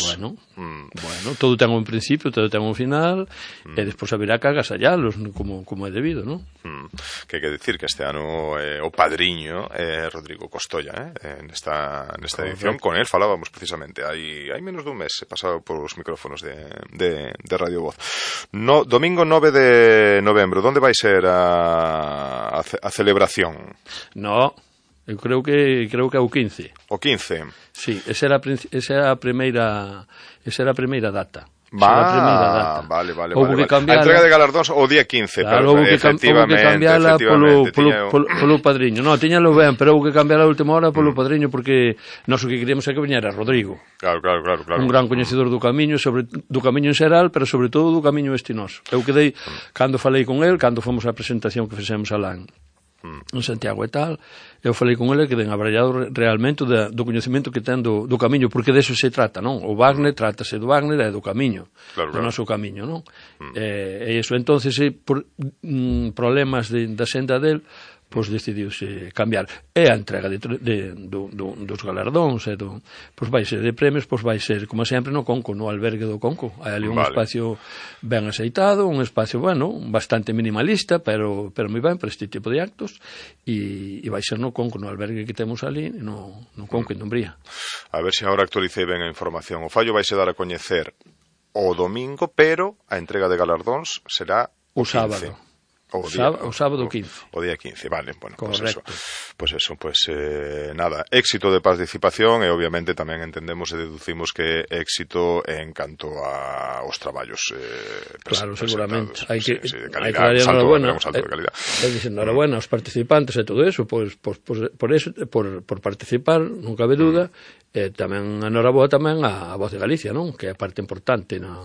Bueno, mm. bueno, todo ten un principio, todo ten un final, mm. e despois haberá que agasallalos como, como é debido, non? Mm. Que hai que decir que este ano eh, o padriño é eh, Rodrigo Costolla, eh, nesta, nesta edición. Con él falábamos precisamente, hai, hai menos dun mes, he pasado por os micrófonos de, de, de Radio Voz. No, domingo nove de novembro, onde vai ser a, a, a celebración? No, eu creo que creo que é o quince. O quince? Sí, esa era, esa era a primeira esa era a primeira data. Va, vale, vale, vale, vale. A entrega de galardóns o día quince, claro, pero houve que, efectivamente, houve que cambiala polo, polo, tiña... polo, polo padriño. No, tiñalo ben, pero houve que cambiar a última hora polo mm. padriño, porque nós o que queríamos é que viñera Rodrigo. Claro, claro, claro, claro. Un gran coñecedor do camiño, sobre do camiño en xeral, pero sobre todo do camiño estinoso. Eu quedei, mm. cando falei con el, cando fomos á presentación que fixemos alá en en Santiago e tal, eu falei con ele que den abrallado realmente do, do coñecemento que ten do, do camiño, porque deso se trata, non? O Wagner, trátase do Wagner e do camiño, claro, do claro. noso camiño, non? Mm. E, e iso, entonces, e, por mm, problemas de, da senda del, pois decidiuse cambiar. E a entrega de, de, do, do, dos galardóns e do, pois vai ser de premios, pois vai ser, como sempre, no Conco, no albergue do Conco. Hai ali un vale. espacio ben aceitado, un espacio, bueno, bastante minimalista, pero, pero moi ben para este tipo de actos, e, e vai ser no Conco, no albergue que temos ali, no, no Conco, en Dumbría. A ver se agora actualicei ben a información. O fallo vai se dar a coñecer o domingo, pero a entrega de galardóns será o sábado. O, o, día, sábado, o sábado quince. O, o día quince, vale, bueno, pues eso, pues eso, pues eh, nada, éxito de participación e obviamente tamén entendemos e deducimos que éxito en canto a os traballos eh, claro, seguramente, hai que, sí, sí, de hai que dar enhorabuena, un salto de calidad. É dicir, enhorabuena aos participantes e todo eso, pois, pois, pois, por eso, por, por participar, non cabe duda, mm. e tamén enhorabuena tamén a, a Voz de Galicia, non? Que é parte importante na,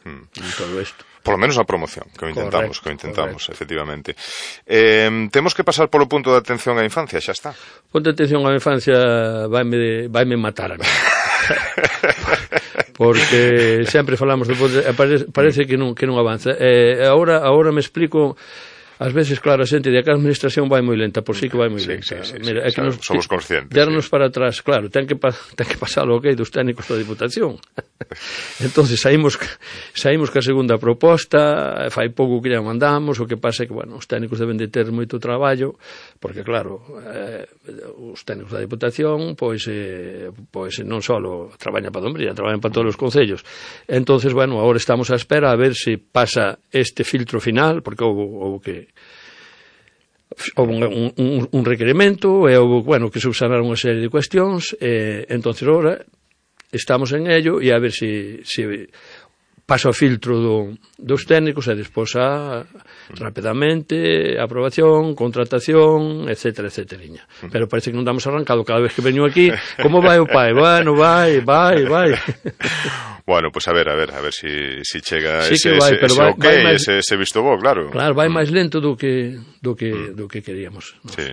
mm. en todo isto. Por lo menos a promoción, que o intentamos, correcto, que o intentamos, correcto. Efectivamente. Eh, temos que pasar polo punto de atención á infancia, xa está. Punto de atención á infancia vaime, vaime matar a mí. Porque sempre falamos de, parece, parece que non, que non avanza. Eh, agora, agora me explico. Ás veces, claro, a xente de que a administración vai moi lenta, por si sí que vai moi sí, lenta. Sí, sí, Mira, sí, é que nos, somos conscientes. Dernos sí. para atrás, claro, ten que, ten que pasar o ok dos técnicos da Diputación. Entonces saímos, saímos ca segunda proposta, fai pouco que ya mandamos, o que pasa é que, bueno, os técnicos deben de ter moito traballo, porque, claro, eh, os técnicos da Diputación, pois, eh, pois non só traballan para Dumbría, traballan para todos os concellos. Entonces, bueno, agora estamos á espera a ver se pasa este filtro final, porque houve, houve que houve un, un, un requerimento e houve, bueno, que subsanaron unha serie de cuestións e entonces ahora estamos en ello e a ver se, se pasa o filtro do, dos técnicos e despois a rapidamente aprobación, contratación, etcétera, etcétera. Pero parece que non damos arrancado cada vez que veño aquí. Como vai o pai? Bueno, vai, vai, vai. Bueno, pois pues a ver, a ver, a ver si, si chega sí ese, vai, ese, ese vai, ok, vai máis, ese, ese visto bo, claro. Claro, vai máis lento do que do que, mm. do que queríamos. Nos. Sí.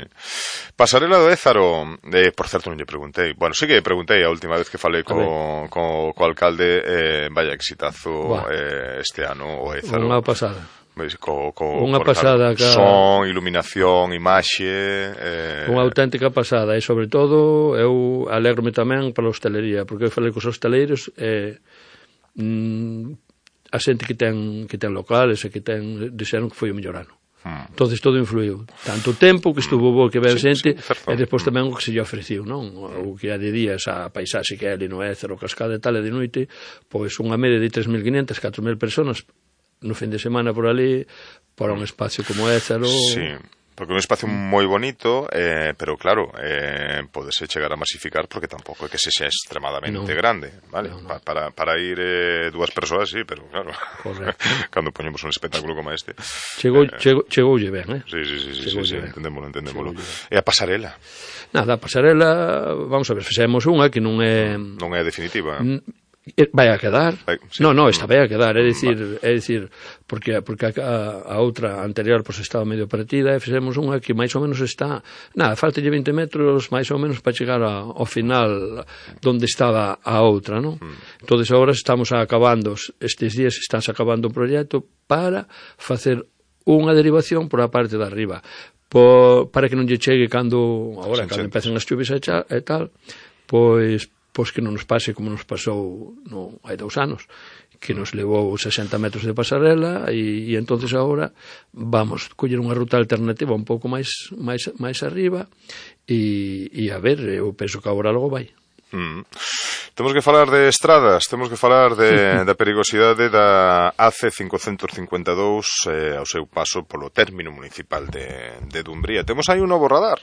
Pasarela do Ézaro, eh, por certo non lle preguntei. Bueno, sí que preguntei a última vez que falei co, co, co alcalde, eh, vaya exitazo eh, este ano o Ézaro. Unha pasada. Co, co, unha pasada ca... son, iluminación, imaxe eh... unha auténtica pasada e sobre todo eu alegro-me tamén pola hostelería porque eu falei cos hosteleiros e eh, mm, a xente que ten, que ten locales e que ten dixeron que foi o mellor ano. Hmm. Entonces todo influiu, tanto o tempo que estuvo bo que ben sí, xente sí, e despois tamén o que se lle ofreciu, non? O que a de días a paisaxe que é ali no Ézaro, cascada e tal e de noite, pois unha media de tres mil quinhentas, catro mil personas no fin de semana por ali, para un espacio como Ézaro. Sí, porque é un espacio moi bonito, eh, pero claro, eh, podese chegar a masificar porque tampouco é que se xa extremadamente no. grande, vale? No, no. Pa, para, para ir eh, dúas persoas, sí, pero claro, cando poñemos un espectáculo como este. Chegou, eh, chegou, chegoulle ben, eh? Sí, sí, sí, sí, sí, sí entendémolo, entendémolo. E a pasarela? Nada, a pasarela, vamos a ver, fixemos unha que non é... Non é definitiva. N vai a quedar. Sí. No, no, esta vai a quedar, é dicir, é dicir, porque porque a, a outra anterior pois estaba medio partida e fixemos unha que máis ou menos está, nada, faltalle vinte metros máis ou menos para chegar a, ao final onde estaba a outra, non? Mm. Entonces agora estamos acabando, estes días estás acabando o proxecto para facer unha derivación por a parte de arriba, por, para que non lle chegue cando agora, cando empecen as chuvis e tal, pois pois que non nos pase como nos pasou no, hai dous anos, que nos levou sesenta metros de pasarela e, e entonces agora vamos coller unha ruta alternativa un pouco máis máis máis arriba e, e a ver, eu penso que agora logo vai. Mm. Temos que falar de estradas, temos que falar de, da perigosidade da A C cincocentos cincuenta e dous eh, ao seu paso polo término municipal de, de Dumbría. Temos aí un novo radar.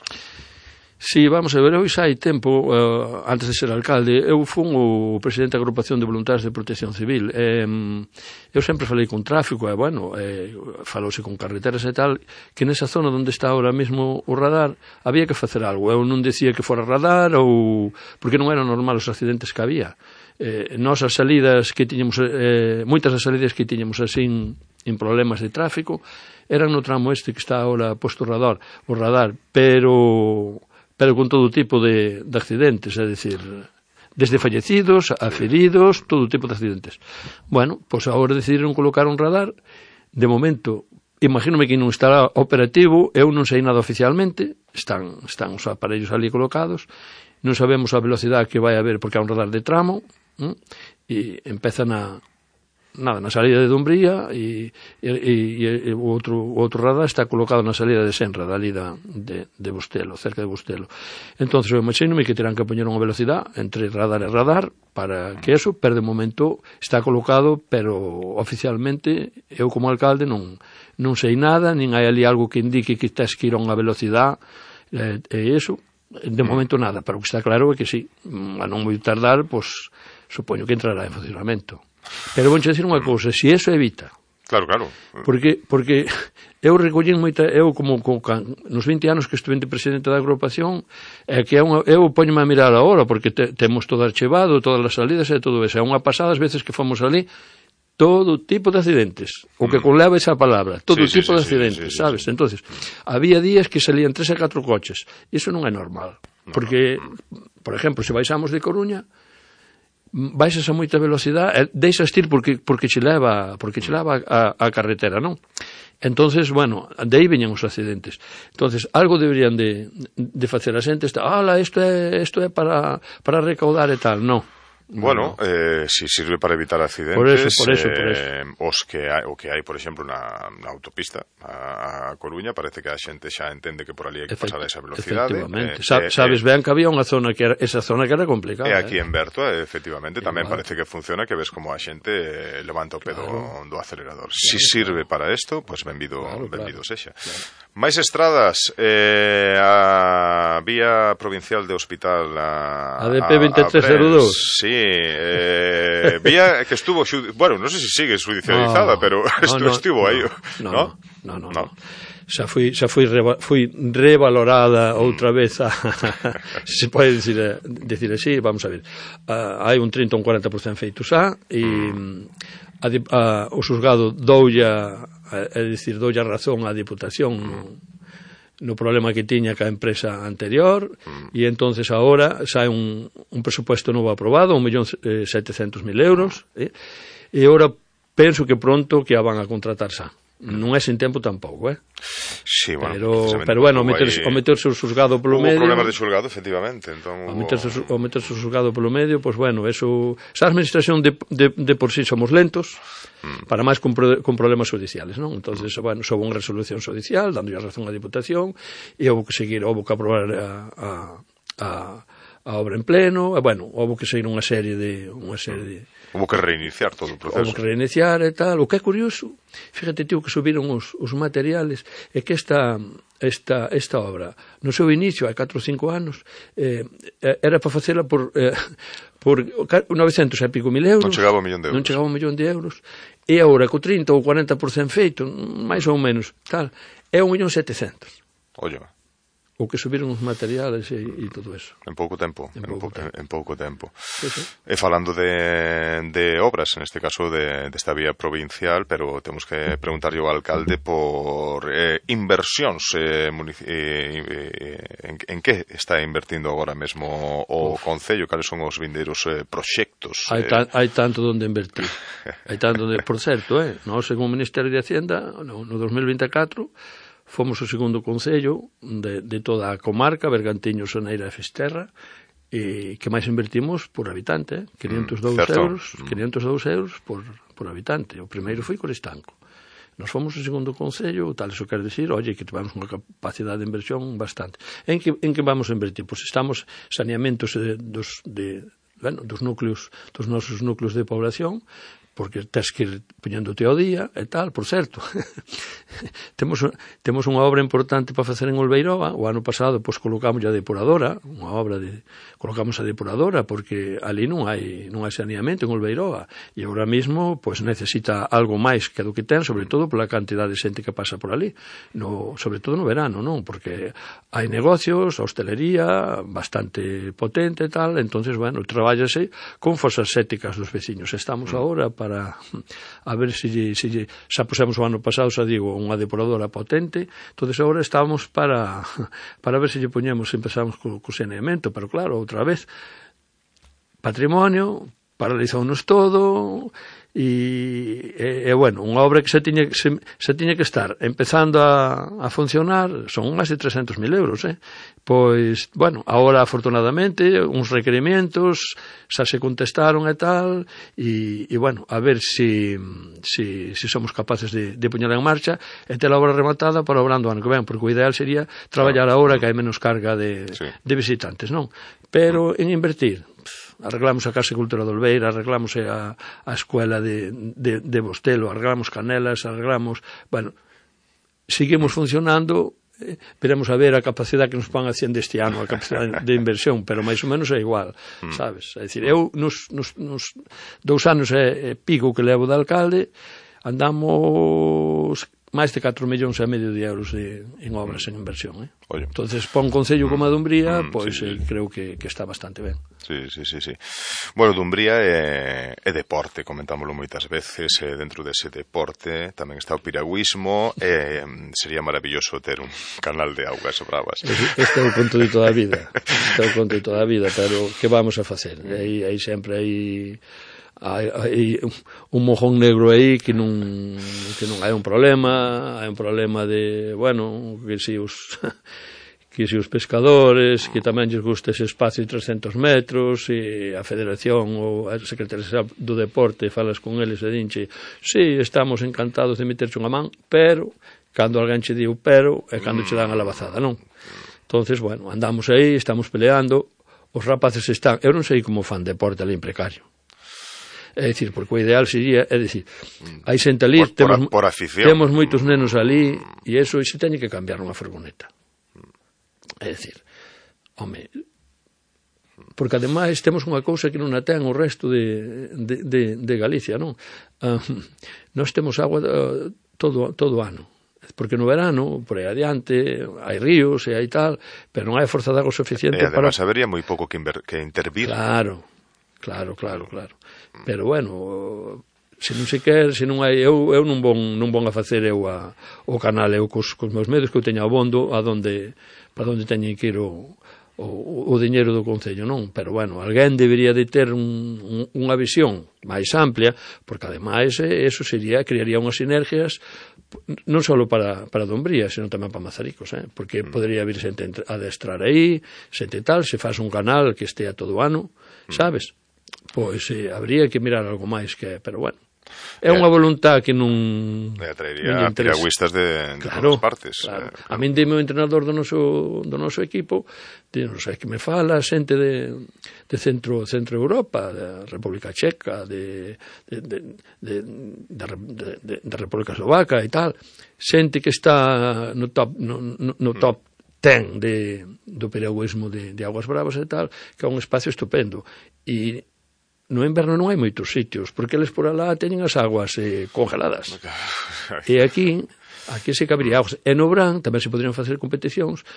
Sí, vamos a ver, eu xa hai tempo, uh, antes de ser alcalde, eu fun o presidente da agrupación de voluntarios de protección civil. Eh, eu sempre falei con tráfico, e, bueno, eh, falouse con carreteras e tal, que nesa zona onde está ahora mesmo o radar, había que facer algo. Eu non decía que fora radar, ou porque non eran normal os accidentes que había. Eh, nós as salidas que tiñamos, eh, moitas das salidas que tiñamos así en problemas de tráfico, eran no tramo este que está ahora posto o radar, o radar, pero... pero con todo tipo de, de accidentes, é dicir, desde fallecidos a feridos, todo tipo de accidentes. Bueno, pois pues agora decidiron colocar un radar, de momento, imagínome que non estará operativo, eu non sei nada oficialmente, están, están os aparellos ali colocados, non sabemos a velocidade que vai haber porque é un radar de tramo, ¿eh? E empezan a... nada, na salida de Dumbría e, e, e, e o outro, o outro radar está colocado na salida de Senra, dali da, de, de Bustelo, cerca de Bustelo. Entón, eu imagínome que terán que poñer unha velocidade entre radar e radar para que eso, pero de momento está colocado, pero oficialmente eu como alcalde non, non sei nada, nin hai ali algo que indique que tens que ir a unha velocidade e, e eso, de momento nada, pero o que está claro é que sí, a non moi tardar, pois supoño que entrará en funcionamento. Pero vou dicir unha cousa, se eso evita. Claro, claro. Porque porque eu recollín moita, eu como, como nos vinte anos que estuve presidente da agrupación, é que é unha, eu poñome a mirar agora porque te, temos todo archivado, todas as salidas e todo eso. É unha pasada as veces que fomos ali, todo tipo de accidentes, o que conleva esa palabra, todo sí, tipo sí, de accidentes, sí, sí, sabes? Sí, sí. Entonces, había días que salían tres e catro coches. Iso non é normal, porque por exemplo, se baixamos de Coruña, baixas a moita velocidade, deixas ir porque porque che leva, porque che leva a, a carretera, non? Entonces, bueno, de aí veñen os accidentes. Entonces, algo deberían de de facer a xente, está, "Ala, isto é isto é para para recaudar e tal", non. Bueno, eh, si sirve para evitar accidentes, por eso, por eso, por eso. Eh, os que hai, o que hai, por exemplo, na, na autopista a, a Coruña, parece que a xente xa entende que por ali hai que pasar a esa velocidade. Efectivamente. Eh, Sa, sabes eh, ben que había unha zona que era, esa zona que era complicada. E aquí eh. en Berto, efectivamente, e tamén igual. Parece que funciona, que ves como a xente levanta o pedo claro. do acelerador. Claro, si sirve claro. para isto, pois pues benvido, claro, benvido claro. sexa. Claro. Máis estradas, eh, a vía provincial de hospital a, a D P veintitrés cero dous. Sí, eh, vía que estuvo, bueno, non sei se sigue judicializada, no, pero estu, no, no, estivo aí, no, ¿no? No, no, no. no. Xa fui, xa fui, reva, fui revalorada outra vez a, se pode decir, decir así, vamos a ver, uh, hai un trinta ou un cuarenta por cento feito xa e a, a, o xuzgado doulla, é dicir, doulla razón á Diputación no, no problema que tiña ca empresa anterior e entonces agora xa hai un, un presupuesto novo aprobado, un millón setecentos mil euros, eh? E agora penso que pronto que a van a contratar xa. Non é sin tempo tampouco, eh? Sí, bueno, pero, pero bueno, o meterse, o meterse o xuzgado polo hubo medio... Hubo problemas de xulgado, efectivamente. Entón, hubo... o, meterse, o meterse o xuzgado polo medio, pois pues bueno, eso... Esa administración de, de, de por sí somos lentos, mm. para máis con, pro, con problemas judiciales, non? Entonces, bueno, soubo unha resolución judicial, dando a razón á Diputación, e houve que seguir, houve que aprobar a... a, a a obra en pleno, e, bueno, houve que seguir unha serie de... unha serie de houve que reiniciar todo o proceso. Houve que reiniciar e tal. O que é curioso, fíjate, tío, que subiron os, os materiales, é que esta, esta, esta obra, no seu inicio, hai catro ou cinco anos, eh, era para facela por, eh, por novecentos e pico mil euros. Non chegaba a un millón de euros. Non chegaba a un millón de euros. E agora, co trinta ou cuarenta por cento feito, máis ou menos, tal, é un millón setecentos. Oye, o que subiron os materiales e, e todo eso. En pouco tempo, en, en, pouco, po, tempo. en, en pouco tempo. Sí, sí. E falando de, de obras, en este caso de, de esta vía provincial, pero temos que preguntarlle ao alcalde por eh, inversións eh, eh, eh, en, en que está invertindo agora mesmo o Uf. Concello, cales son os vindeiros eh, proxectos. Hai, ta, hai tanto donde invertir. Hai tanto donde, por certo, eh, nós, según o Ministerio de Hacienda, no, no dos mil vinte e catro, fomos o segundo concello de, de toda a comarca, Bergantiños, Soneira e Fisterra, e que máis invertimos por habitante, eh? quinientos e dous euros, quinientos e dous euros por, por habitante. O primeiro foi Coristanco. Nos fomos o segundo concello, tal iso quer decir, oye, que tivemos unha capacidade de inversión bastante. En que, en que vamos a invertir? Pois estamos saneamentos de, dos, de, bueno, dos núcleos, dos nosos núcleos de población, porque tens que ir poñéndote ao día e tal, por certo. temos, temos unha obra importante para facer en Olveiroa. O ano pasado, pois, colocamos a depuradora, unha obra de... colocamos a depuradora, porque ali non hai, non hai saneamento en Olveiroa. E agora mesmo, pois, necesita algo máis que do que ten, sobre todo pola cantidad de xente que pasa por ali. No, sobre todo no verano, non? Porque hai negocios, a hostelería, bastante potente e tal, entonces, bueno, trabállase con fosas sépticas dos veciños. Estamos agora para a ver se lle, se lle, xa pusemos o ano pasado, xa digo, unha depuradora potente, entonces agora estamos para para ver se lle poñemos, empezamos co, co saneamento, pero claro, outra vez, patrimonio, paralizounos todo, e, e, e bueno, unha obra que se tiña, se, se tiña que estar empezando a, a funcionar, son máis de trescentos mil euros, eh? Pois, bueno, agora afortunadamente, uns requerimientos, xa se contestaron e tal, e, e bueno, a ver si, si, si somos capaces de, de poñer en marcha e ter a obra rematada para o verán do ano que ven, porque o ideal sería traballar agora que hai menos carga de, sí. de visitantes, non? Pero en invertir, arreglamos a Casa Cultura de Olveira, arreglamos a, a escuela de, de, de Bostelo, arreglamos Canelas, arreglamos... Bueno, seguimos funcionando, eh, veremos a ver a capacidade que nos van haciendo este ano, a capacidade de inversión, pero máis ou menos é igual, sabes? É dicir, eu nos, nos, nos dous anos e pico que levo de alcalde, andamos máis de catro millóns e medio de euros de, en obras en inversión, eh? Oye. Entonces, para un concello como a Dumbría, mm, pois sí, eh, sí. creo que, que está bastante ben. Sí, sí, sí, sí. Bueno, Dumbría é, é deporte, comentámoslo moitas veces, e dentro dese deporte tamén está o piragüismo, e sería maravilloso ter un canal de augas bravas. Este é o conto de toda a vida, este é o conto de toda a vida, pero que vamos a facer? Aí, aí sempre hai... hai, hai un mojón negro aí que non que non hai un problema, hai un problema de, bueno, que si os que si os pescadores, que tamén lles gusta ese espacio de trescentos metros, e a Federación ou a Secretaría do Deporte falas con eles e dinche, sí, estamos encantados de meterche unha man, pero cando alguén che diu pero é cando che dan a lavazada, non? Entonces, bueno, andamos aí, estamos peleando, os rapaces están, eu non sei como fan deporte ali en precario. É dicir, porque o ideal sería, é dicir, hai xente ali, por, temos, por, por temos moitos nenos ali, e iso se teñe que cambiar unha furgoneta. É dicir, home, porque ademais temos unha cousa que non a ten o resto de, de, de, de Galicia, non? Uh, nós temos agua uh, todo, todo ano, porque no verano, por aí adiante, hai ríos e hai tal, pero non hai forza de agua suficiente e además para... habería moi pouco que, inver... que intervir. Claro, claro, claro, claro. Pero bueno, se non se quer, se non hai, eu, eu non bon, non bon a facer eu a, o canal, eu cos, cos meus medios que eu teño abondo a donde, para onde teñen que ir o, o, o diñeiro do Concello, non? Pero bueno, alguén debería de ter un, un, unha visión máis amplia, porque ademais eh, eso sería, crearía unhas sinergias non só para, para Dumbría, senón tamén para Mazaricos, eh? Porque podría vir xente a adestrar aí, xente tal, se faz un canal que estea todo o ano, sabes? Pois eh, habría que mirar algo máis que, pero bueno, é unha voluntad que non e atraería a piragüistas de, de claro, todas partes. Claro. Eh, a min dime o entrenador do noso, do noso equipo, de, non sei, que me fala xente de, de centro, centro Europa, da República Checa, de, de, de, de, de, de, de República Eslovaca e tal, xente que está no top, no, no, no top ten de, do piragüismo de, de Aguas Bravas e tal, que é un espacio estupendo. E no inverno non hai moitos sitios, porque eles por alá teñen as aguas eh, congeladas. E aquí, aquí se cabería aguas. E no verán tamén se poderían facer competicións,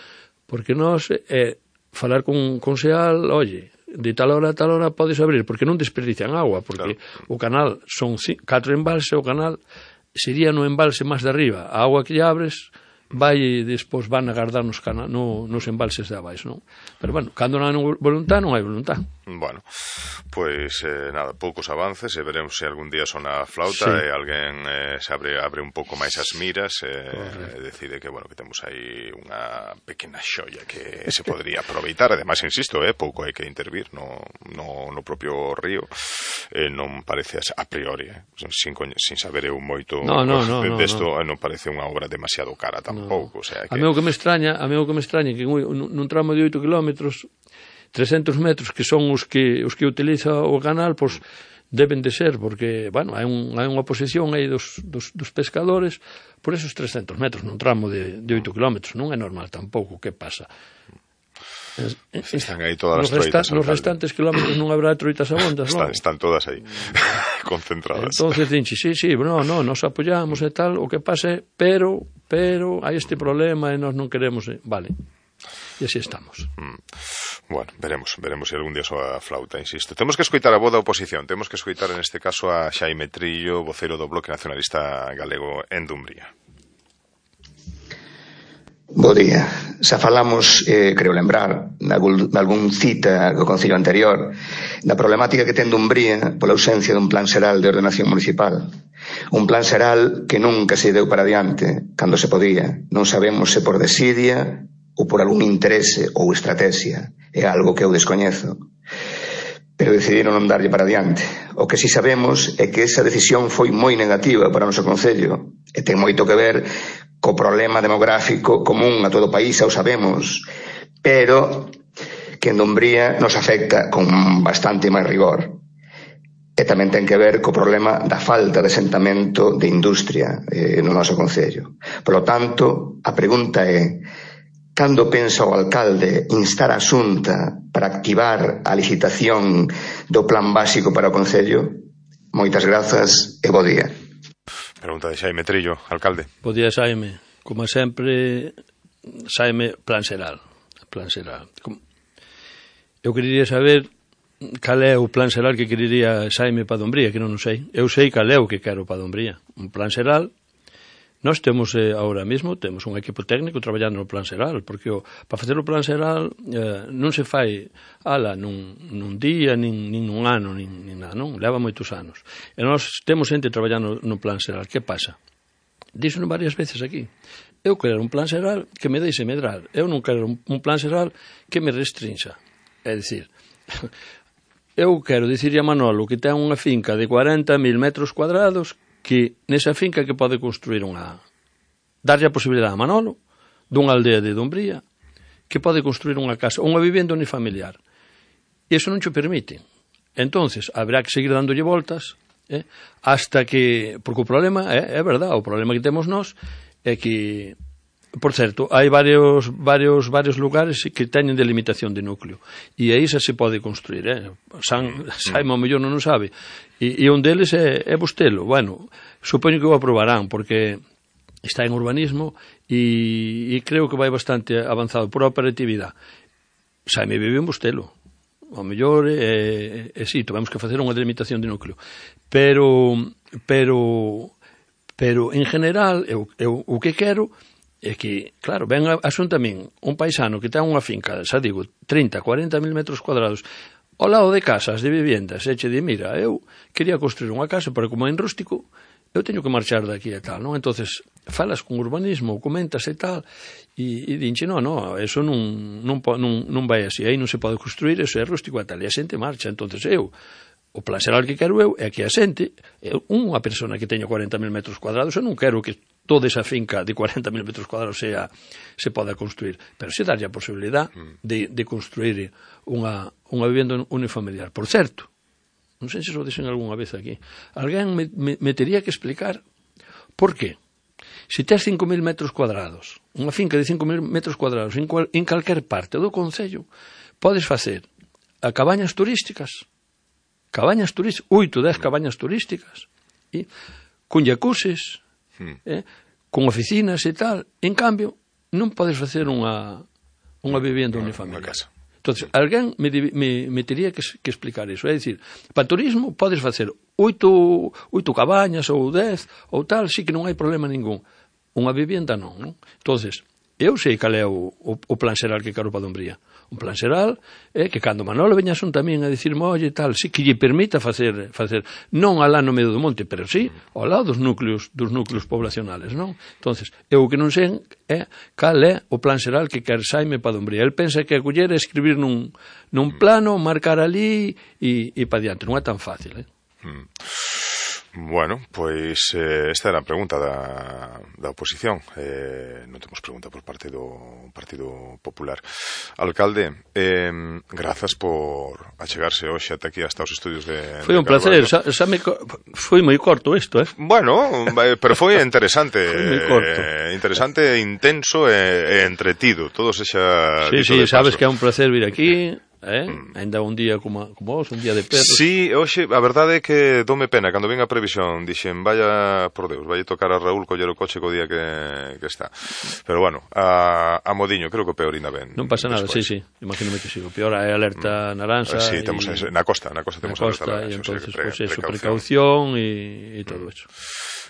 porque nós, eh, falar con, con Seal, oye, de tal hora a tal hora podes abrir, porque non desperdician agua, porque claro, o canal son catro embalses, o canal sería no embalse máis de arriba. A agua que lle abres vai e despois van a guardar nos, cana, no, nos embalses de abaixo, non? Pero bueno, cando non hai voluntad, non hai voluntad. Bueno, pois eh, nada, poucos avances e veremos se algún día sona a flauta sí, e alguén eh, se abre, abre un pouco máis as miras e eh, decide que, bueno, que temos aí unha pequena xoia que se podría aproveitar. Ademais, insisto, eh, pouco hai que intervir no, no, no propio río, eh, non parece a priori, eh, sin, sin saber eu moito no, no, no, desto, no, no. non parece unha obra demasiado cara tampouco. No. O sea, que... A meu que me extraña, a meu que me extraña que nun tramo de oito kilómetros, trescentos metros que son os que os que utiliza o canal, pois deben de ser, porque, bueno, hai, un, hai unha posición aí dos, dos, dos pescadores por esos trescentos metros nun tramo de, de oito kilómetros. Non é normal tampouco, que pasa? Están aí todas as troitas. Nos restantes kilómetros non habrá troitas abondas, non? Están, están todas aí, concentradas. Entonces, dinche, sí, sí, no, no, nos apoyamos e tal, o que pase, pero, pero, hai este problema e nós non queremos, eh, vale. E así estamos. Mm. Bueno, veremos, veremos se algún día soa a flauta, insisto. Temos que escoitar a voz da oposición, temos que escoitar en este caso a Xaime Trillo, vocero do Bloque Nacionalista Galego en Dumbría. Bo día. Xa falamos, eh, creo lembrar, nalgún cita do Concello anterior, da problemática que ten Dumbría pola ausencia dun plan xeral de ordenación municipal. Un plan xeral que nunca se deu para diante, cando se podía. Non sabemos se por desidia ou por algún interese ou estrategia. É algo que eu descoñezo. Pero decidiron non darlle para diante. O que si sabemos é que esa decisión foi moi negativa para o noso Concello e ten moito que ver co problema demográfico común a todo o país, xa o sabemos, pero que en Dumbría nos afecta con bastante máis rigor. E tamén ten que ver co problema da falta de asentamento de industria eh, no noso Concello. Por lo tanto, a pregunta é: cando pensa o alcalde instar a Xunta para activar a licitación do plan básico para o Concello? Moitas grazas e bo día. Pregunta de Xaime Trillo, alcalde. Bo día, Xaime. Como sempre, Xaime, plan xeral. Plan xeral. Eu quería saber cal é o plan xeral que querería Xaime para Dumbría, que non o sei. Eu sei cal é o que quero para Dumbría. Un plan xeral. Nós temos, eh, ahora mesmo, temos un equipo técnico traballando no plan xeral, porque o, para facer o plan xeral eh, non se fai ala nun, nun día, nin, nin nun ano, nin, nin nada, non? Leva moitos anos. E nós temos xente traballando no plan xeral. Que pasa? Díxono varias veces aquí. Eu quero un plan xeral que me deixe medrar. Eu non quero un, un plan xeral que me restrinxa. É dicir, eu quero dicirle a Manolo que ten unha finca de cuarenta mil metros cuadrados, que nesa finca que pode construir unha, darlle a posibilidade a Manolo dunha aldea de Dumbría que pode construir unha casa, unha vivenda unifamiliar. E iso non xo permite. Entonces, haberá que seguir dándolle voltas eh, hasta que, porque o problema é, é verdad, o problema que temos nós é que por certo, hai varios varios varios lugares que teñen delimitación de núcleo e aí xa se pode construir, eh? San, Saimo ao mellor non o sabe e, e un deles é, é Bustelo. Bueno, supoño que o aprobarán porque está en urbanismo e, e creo que vai bastante avanzado por operatividade. Saime vive en Bustelo, ao mellor é, é, é sí, tivemos que facer unha delimitación de núcleo, pero pero pero en general eu, eu o que quero é que, claro, ven a, asunta a min un paisano que ten unha finca, xa digo, trinta, cuarenta mil metros cuadrados ao lado de casas, de viviendas, e che di, mira, eu quería construir unha casa, pero como é en rústico, eu teño que marchar daqui e tal, non? Entonces, falas con urbanismo, comentas e tal, e, e dinche, non, non, eso non, non, non, non vai así, aí non se pode construir, eso é rústico e tal, e a xente marcha. Entonces eu, o plan xeral que quero eu é que a xente, unha persona que teño cuarenta mil metros cuadrados, eu non quero que toda esa finca de cuarenta mil metros cuadrados sea, se poda construir, pero se darlle a posibilidade de, de construir unha, unha vivenda unifamiliar. Por certo, non sei se o dixen algunha vez aquí, alguén me, me, me tería que explicar por qué. Se tes cinco mil metros cuadrados, unha finca de cinco mil metros cuadrados en, cual, en calquer parte do concello, podes facer a cabañas turísticas, cabañas turísticas, oito, dez cabañas turísticas, e con jacuzzis, Hmm. Eh, con oficinas e tal. En cambio, non podes facer unha unha vivenda unifamiliar. Entonces, alguén me, me, me tería que, que explicar iso. É dicir, para turismo podes facer oito, oito cabañas ou dez ou tal, sí que non hai problema ningún. Unha vivenda non, non? Entonces, eu sei cal é o, o, o plan xeral que quero para Dumbría. Un plan xeral é que cando Manolo veña son tamén a dicirme, oye, tal, sí, que lle permita facer, facer non alá no medio do monte, pero sí ao lado dos núcleos, dos núcleos poblacionales, non? Entonces, eu o que non sei é cal é o plan xeral que quer Saime para Dumbría. El pensa que a coller é escribir nun, nun plano, marcar ali e, e pa diante. Non é tan fácil, eh? Mm. Bueno, pois eh, esta era a pregunta da, da oposición. Eh, non temos pregunta por parte do Partido Popular. Alcalde, eh, grazas por achegarse hoxe ata aquí hasta os estudios de... Foi un placer, xa, xa me, foi moi corto isto, eh? Bueno, pero foi interesante. Foi moi corto. Eh, interesante, intenso e, e entretido. Todo se xa... Sí, sí, sabes que é un placer vir aquí... Eh? Mm. Ainda un día como, como vos, un día de perros. Sí, hoxe, a verdade é que dome pena. Cando vin a previsión, dixen, vaya, por Deus, vai tocar a Raúl coller o coche co día que, que está. Pero bueno, a, a modiño, creo que o peor ainda ben. Non pasa nada, después. Sí, sí, imagínome que sí. O peor é alerta mm. naranxa. Sí, temos y... na costa, na costa temos na costa, alerta naranxa. E entonces, pre, pues eso, precaución e todo eso.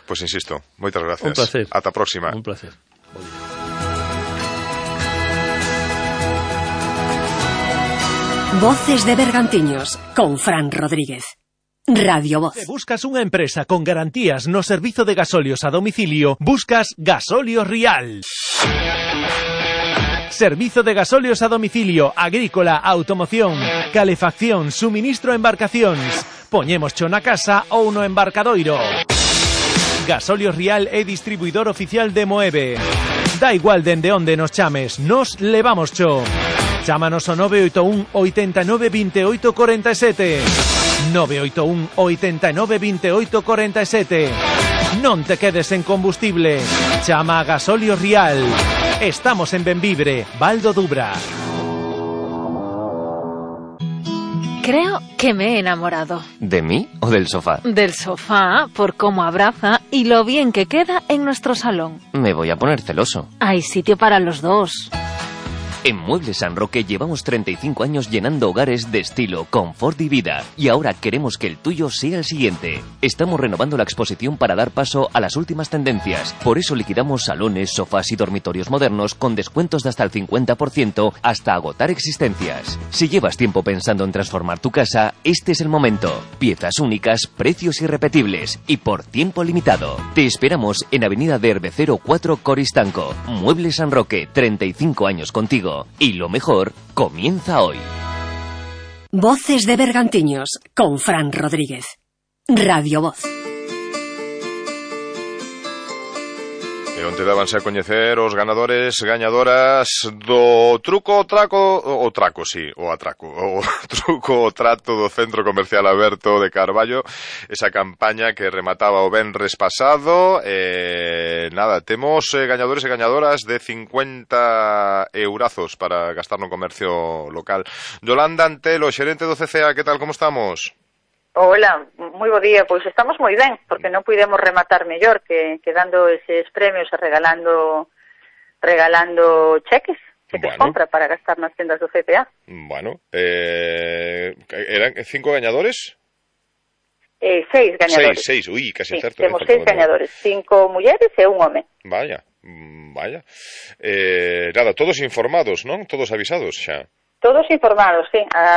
Pois pues insisto, moitas gracias. Un placer. Ata a próxima. Un placer. Voces de Bergantiños, con Fran Rodríguez. Radio Voz. Se buscas unha empresa con garantías no servizo de gasolios a domicilio, buscas Gasolios Rial. Servizo de gasolios a domicilio, agrícola, automoción, calefacción, suministro a embarcacións. Poñémoscho na casa ou no embarcadoiro. Gasolios Rial é distribuidor oficial de Moeve. Da igual dende onde nos chames, nos levamos cho. Chámanos ao nove oito un, oitenta e nove, vinte e oito, cuarenta e sete. nove oito un, oitenta e nove, vinte e oito, cuarenta e sete. Non te quedes en combustible. Chama a Gasolios Rial. Estamos en Benvibre, Val do Dubra. Creo que me he enamorado. ¿De mí o del sofá? Del sofá, por cómo abraza y lo bien que queda en nuestro salón. Me voy a poner celoso. Hay sitio para los dos. En Muebles San Roque llevamos treinta y cinco años llenando hogares de estilo, confort y vida. Y ahora queremos que el tuyo sea el siguiente. Estamos renovando la exposición para dar paso a las últimas tendencias. Por eso liquidamos salones, sofás y dormitorios modernos con descuentos de hasta el cincuenta por ciento hasta agotar existencias. Si llevas tiempo pensando en transformar tu casa, este es el momento. Piezas únicas, precios irrepetibles y por tiempo limitado. Te esperamos en Avenida de Herbecero cuatro, Coristanco. Muebles San Roque, treinta y cinco años contigo. Y lo mejor comienza hoy. Voces de Bergantiños, con Fran Rodríguez. Radio Voz. E onde dábanse a coñecer os ganadores, gañadoras do truco o traco, o traco, sí, o atraco, o truco o trato do Centro Comercial Aberto de Carballo, esa campaña que remataba o venres pasado. Eh, nada, temos eh, gañadores e gañadoras de cincuenta eurazos para gastar no comercio local. Yolanda Antelo, xerente do C C A, que tal, como estamos? Hola, moi bo día. Pois estamos moi ben, porque non pudemos rematar mellor que, que dando eses premios e regalando regalando cheques, cheques bueno. compra para gastar nas tendas do C P A. Bueno, eh, eran cinco gañadores? Eh, seis gañadores. Seis, seis, ui, casi sí, certo. Temos seis gañadores, cinco mulleres e un home. Vaya, vaya. Eh, nada, todos informados, non? Todos avisados xa. Todos informados, sí. A